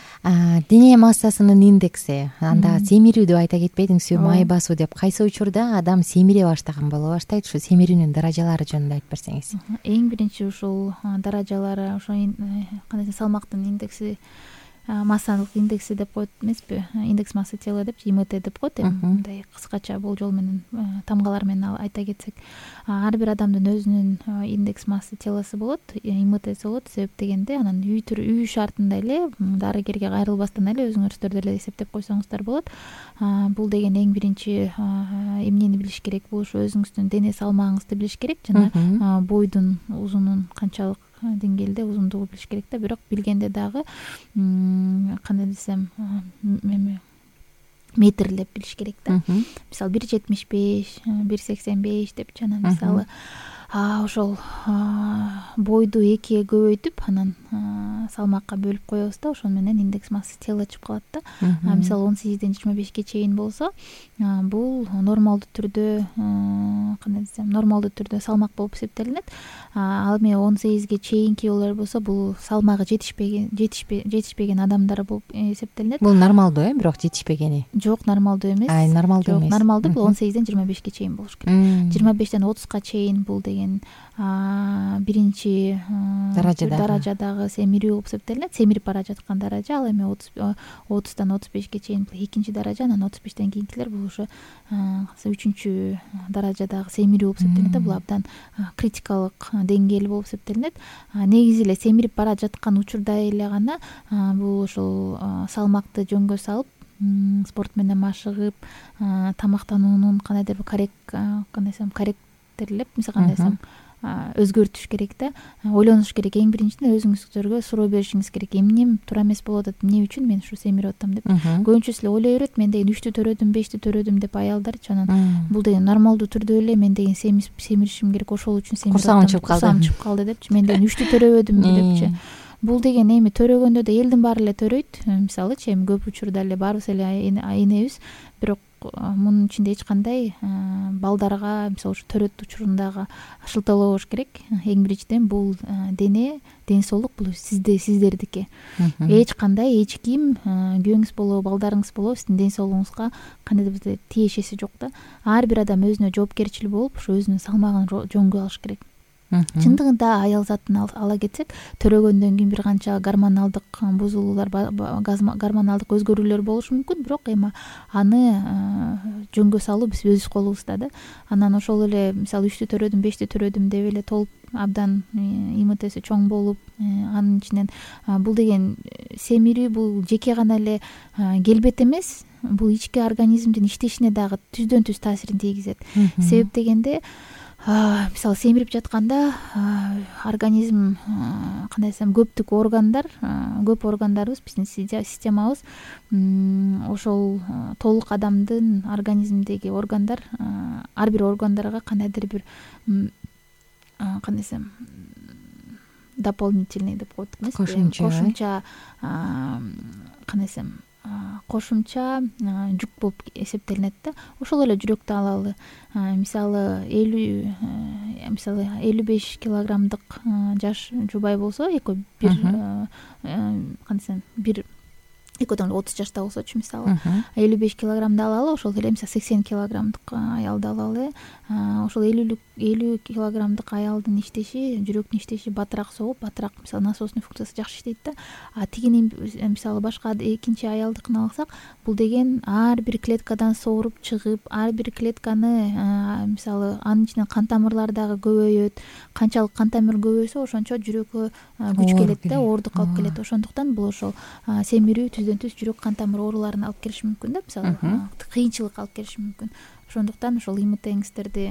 Дене массасынын индекси, анда семирүү деп айта кетпедиңизби, май басуу деп, кайсы учурда адам семире баштаган боло баштайт? Ушу семирүүнүн даражалары жөнүндө айтып берсеңиз. Эң биринчи ушул даражалары, ошо кандай салмактын индекси, массалык индекси деп коет эмеспи, индекс массы тела деп, ИМТ деп коет. Эми мындай кыскача болжол менен, тамгалар менен айта кетсек, ар бир адамдын өзүнүн индекс массы теласы болот, ИМТси болот. Себеп дегенде анан үй шартында эле, дарыгерге кайрылбастан эле өзүңүздөр деле эсептеп койсоңуздар болот. Бул деген эң биринчи эмнени билиш керек? Бул ушу өзүңүздүн дене салмагыңызды билиш керек жана бойдун узунун канчалык деңгээлде узундугу билиш керек да. Бирок билгенде дагы кандай десем метрлеп билиш керек да. Мисалы 1,75, 1,85 деп жана мисалы ошол бойду экиге көбөйтүп анан салмакка бөлүп коебуз да. Ошон менен индекс массы тела чыгып калат да. Мисалы 18ден 25ге чейин болсо, бул нормалдуу түрдө кандай десем, нормалдуу түрдө салмак болуп эсептелинет. Ал эми 18ге чейинкилер болсо, бул салмагы жетишпеген адамдар болуп эсептелинет. Бул нормалдуу, бирок жетишпегени. Жок, нормалдуу эмес. Нормалдуу эмес. Нормалдуу бул 18ден 25ге чейин болуш керек. 25ден 30га чейин бул деген биринчи даражадагы семирүү болуп эсептелинет. Семирип бара жаткан даража. Ал эми 30дан 35ге чейин бул экинчи даража, анан 35ден кийинкилер бул ушу үчүнчү даражадагы семирүү болуп эсептелинет. Бул абдан критикалык деңгээл болуп эсептелинет. Негизи эле семирип бара жаткан учурда эле гана бул ушул салмакты жөнгө салып, спорт менен машыгып, тамактануунун кандайдыр бир корректерлеп, мисалы кандай десем, өзгөртүш керек да. Ойлонуш керек. Эң биринчиден өзүңүздөргө суроо беришиңиз керек. Эмне туура эмес болуп атат, эмне үчүн мен ушу семирип атам деп. Көбүнчөсү эле ойлой берет, мен деген 3тү төрөдүм, 5тү төрөдүм деп аялдарчы. Анан бул деген нормалдуу түрдө эле мен деген семиришим керек, ошол үчүн семирип атам. Курсагым чыгып калды депчи. Мен деген 3тү төрөбөдүм депчи. Бул деген эми төрөгөндө да элдин баары эле төрөйт. Мисалычы эми көп учурда эле баарыбыз эле энебиз, бирок мунун ичинде эч кандай балдарга мисалы ушу төрөт учурундагы шылтоолобош керек. Эң биринчиден бул ден соолук бул сиздердики. Эч кандай эч ким, күйөөңүз болобу, балдарыңыз болобу, сиздин ден соолугуңузга кандайдыр тиешеси жок да. Ар бир адам өзүнө жоопкерчил болуп, ушу өзүнүн салмагын жөнгө алыш керек. Чындыгында аял затын ала кетсек, төрөгөндөн кийин бир канча гормоналдык бузулуулар, гормоналдык өзгөрүүлөр болушу мүмкүн, бирок эми аны жөнгө салуу биз өз колубузда да. Анан ошол эле мисалы 3тү төрөдүм, 5тү төрөдүм деп эле толуп абдан ИМТси чоң болуп, анын ичинен бул деген семирүү бул жеке гана эле келбет эмес, бул ички организмдин иштешине дагы түздөн түз таасирин тийгизет. Себеп дегенде мисалы семирип жатканда организм кандай десем, көп органдарыбыз, биздин системабыз ошол толук адамдын организминдеги органдар, ар бир органдарга кандайдыр бир кандай десем, дополнительный деп коет эмеспи, кошумча кандай десем, кошумча жүк болуп эсептелинет да. Ошол эле жүрөктү алалы. Мисалы 55 килограммдык жаш жубай болсо, экөө бир кандай десем, бир экөөдөн 30 жашта болсочу мисалы 55 килограммды алалы, ошол эле мисалы 80 килограммдык аялды алалы, ошол 50 килограммдык аялдын иштеши, жүрөктүн иштеши батыраак согуп, батыраак мисалы насосный функциясы жакшы иштейт да. Тигини мисалы башка экинчи аялдыкын алсак, бул деген ар бир клеткадан сооруп чыгып, ар бир клетканы мисалы анын ичинен кан тамырлар дагы көбөйөт. Канчалык кан тамыр көбөйсө, ошончо жүрөккө күч келет да, оордук алып келет. Ошондуктан бул ошол семирүү түз жүрөк кан тамыр ооруларын алып келиши мүмкүн да, мисалы кыйынчылык алып келиши мүмкүн. Ошондуктан ошол ИМТңиздерди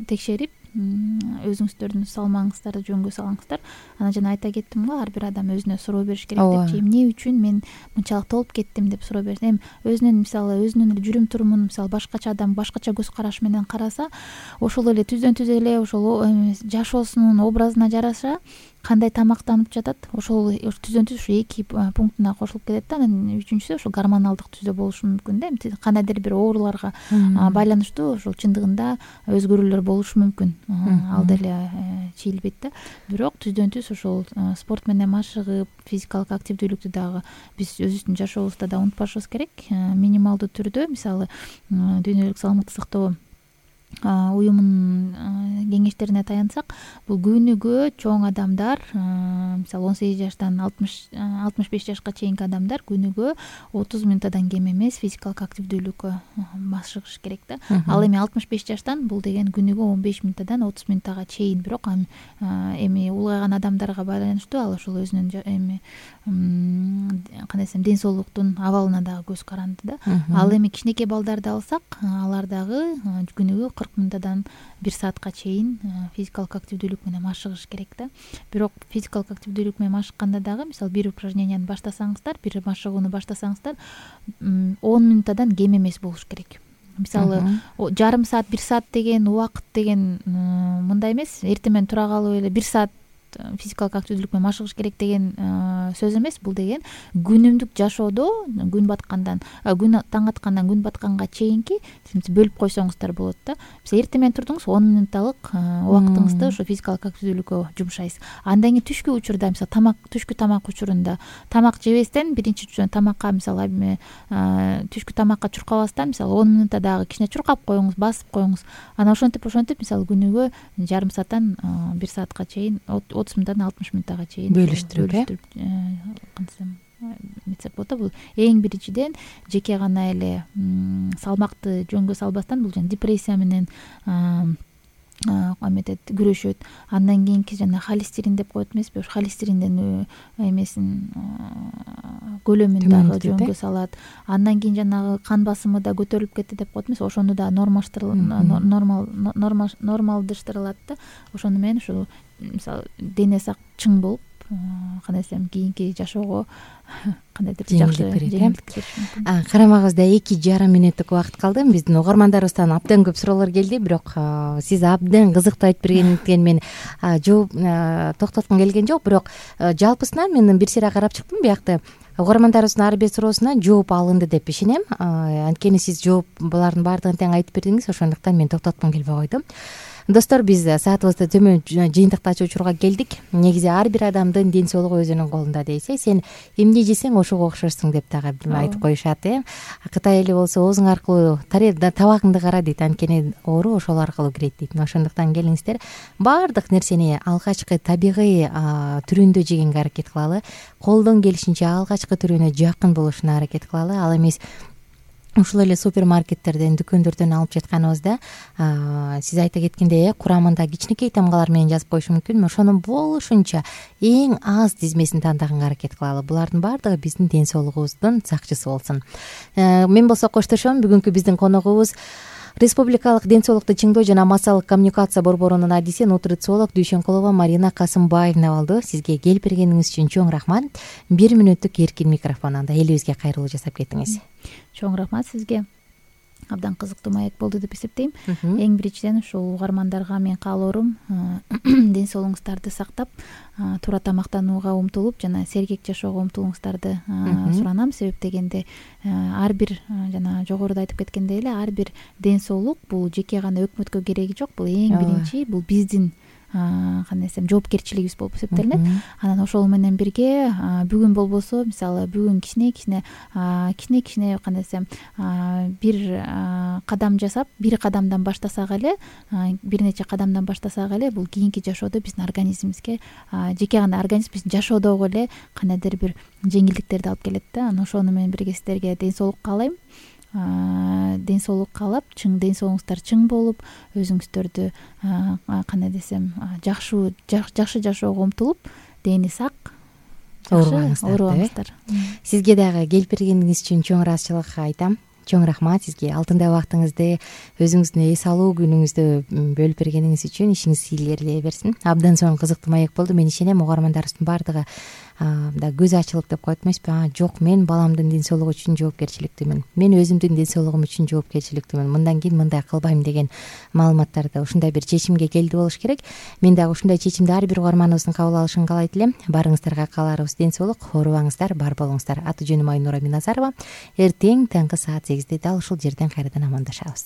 текшерип, өзүңүздөрдүн салмагыңыздарды жөнгө салыңыздар. Анан жана айта кеттим го, ар бир адам өзүнө суроо бериш керек депчи. Эмне үчүн мен мынчалык толуп кеттим деп суроо берсин. Өзүнүн мисалы өзүнүн жүрүм турумун мисалы башкача адам башкача көз караш менен караса, ошол эле түздөн түз эле ошол жашоосунун образына жараша кандай тамактанып жатат, ошол түздөн түз ушу эки пунктуна кошулуп кетет да. Анан үчүнчүсү ошол гормоналдык түздө болушу мүмкүн да. Кандайдыр бир ооруларга байланыштуу ошол чындыгында өзгөрүүлөр болушу мүмкүн. Ал деле чийилбейт да. Бирок түздөн түз ошол спорт менен машыгып, физикалык активдүүлүктү дагы биз өзүбүздүн жашообузда да унутпашыбыз керек. Минималдуу түрдө мисалы дүйнөлүк саламаттык сактоо уюмунун кеңештерине таянсак, бул күнүгө чоң адамдар мисалы 18 жаштан 65 жашка чейинки адамдар күнүгө 30 минуттан кем эмес физикалык активдүүлүккө машыгыш керек да. Ал эми 65 жаштан бул деген күнүгө 15 минуттан 30 минуттага чейин. Бирок эми улгайган адамдарга байланыштуу ал ошол өзүнүн эми кандай десем ден соолуктун абалына дагы көз каранды да. Ал эми кичинекей балдарды алсак, алар дагы күнүгө 40 минуттан 1 саатка чейин физикалык активдүүлүк менен машыгыш керек да. Бирок физикалык активдүүлүк менен машыкканда дагы мисалы бир упражненияны баштасаңыздар, бир машыгууну баштасаңыздар 10 минуттан кем эмес болуш керек. Мисалы жарым саат, 1 саат деген убакыт деген мындай эмес, эртең тура калып эле 1 саат физикалык активдүүлүк менен машыгыш керек деген сөз эмес. Бул деген күнүмдүк жашоодо күн баткандан, күн таң аткандан күн батканга чейинки бөлүп койсоңуздар болот да. Мисалы эртең турдуңуз 10 минутталык убактыңызды ошо физикалык активдүүлүккө жумшайсыз. Андан кийин түшкү учурда мисалы түшкү тамак учурунда тамак жебестен биринчи тамакка мисалы түшкү тамакка чуркабастан мисалы 10 минутта дагы кичине чуркап коюңуз, басып коюңуз. Анан ошентип мисалы күнүгө жарым сааттан 1 саатка чейин 30 минуттан 60 минуттага чейин бөлүштүрүп кантсем метсек болот да. Бул эң биринчиден жеке гана эле салмакты жөнгө салбастан бул депрессия менен күрөшөт. Андан кийинки жана холестерин деп коет эмеспи? Ошо холестериндин эмесин көлөмүн дагы жөнгө салат. Андан кийин жанагы кан басымы да көтөрүлүп кетти деп коет эмес? Ошону да нормалдыштырылат да. Ошону менен ушу мисалы дене сак чың болуп, кандай десем, кийинки жашоого кандайдыр жакшы жеңилдик бериш мүмкүн. Карамагыбызда 2,5 мүнөттүк убакыт калды. Биздин угармандарыбыздан абдан көп суроолор келди, бирок сиз абдан кызыктуу айтып бергендиктен мен жооп токтоткум келген жок. Бирок жалпысынан мен бир сыйра карап чыктым. Биякта угармандарыбыздын ар бир суроосуна жооп алынды деп ишенем. Анткени сиз жооп булардын баардыгын тең айтып бердиңиз. Ошондуктан мен токтоткум келбей койдум. Достор, биз саатыбызды төмөн жыйынтыктачу учурга келдик. Негизи ар бир адамдын ден соолугу өзүнүн колунда дейсе, сен эмне жесең ошого окшошсуң деп дагы айтып коюшат. Кытай эли болсо оозуң аркылуу табагыңды кара дейт, анткени оору ошол аркылуу кирет дейт. Ошондуктан келиңиздер, баардык нерсени алгачкы табигый түрүндө жегенге аракет кылалы. Колдон келишинче алгачкы түрүнө жакын болушуна аракет кылалы. Ал эмес ушул эле супермаркеттерден, дүкөндөрдөн алып жатканыбызда сиз айта кеткендей курамында кичинекей тамгалар менен жазып коюшу мүмкүн. Ошонун болушунча эң аз тизмесин тандаганга аракет кылалы. Булардын баардыгы биздин ден соолугубуздун сакчысы болсун. Мен болсо коштошом. Бүгүнкү биздин коногубуз Республикалык ден соолукту чыңдоо жана массалык коммуникация борборунун адиси, нутрициолог Дүйшөнкулова Марина Касымбаевна болду. Сизге келип бергениңиз үчүн чоң рахмат. 1 мүнөттүк эркин микрофон, анда элибизге кайрылуу жасап кеттиңиз. Чоң рахмат сизге. Абдан кызыктуу маек болду деп эсептейм. Эң биринчиден ушул угармандарга мен каалоорум ден соолугуңуздарды сактап, туура тамактанууга умтулуп жана сергек жашоого умтулуңуздарды суранам. Себеп дегенде ар бир жана жогоруда айтып кеткендей эле ар бир ден соолук бул жеке гана өкмөткө кереги жок. Бул эң биринчи, бул биздин кандай десем жоопкерчилигибиз болуп эсептелинет. Анан ошол менен бирге бүгүн болбосо мисалы бүгүн кичине кандай десем бир кадам жасап, бир кадамдан баштасак эле, бир нече кадамдан баштасак эле бул кийинки жашоодо биздин организмибизге, жеке гана организм биздин жашоодогу эле кандайдыр бир жеңилдиктерди алып келет да. Анан ошону менен бирге сиздерге ден соолук каалайм. Ден соолук каалап, ден соолугуңуздар чың болуп, өзүңүздөрдү кандай десем жакшы жашоого умтулуп, дени сак, оорубаңыздар. Сизге дагы келип бергениңиз үчүн чоң ыраазычылык айтам. Чоң рахмат сизге. Алтындай убактыңызды, өзүңүздүн эс алуу күнүңүздү бөлүп бергениңиз үчүн. Ишиңиз ийгилерилей берсин. Абдан сонун кызыктуу маек болду. Мен ишенем угармандарыбыздын баардыгы да көзү ачылып деп коет эмеспи? Жок, мен баламдын ден соолугу үчүн жоопкерчиликтүүмүн. Мен өзүмдүн ден соолугум үчүн жоопкерчиликтүүмүн. Мындан кийин мындай кылбайм деген маалыматтарды, ушундай бир чечимге келди болуш керек. Мен дагы ушундай чечимди ар бир угарманыбыздын кабыл алышын каалайт элем. Барыңыздарга кааларыбыз ден соолук, оорубаңыздар, бар болуңуздар. Аты жөнүм Айнура Миназарова. Эртең таңкы саат 8 дал ушул жерден кайрадан амандашабыз.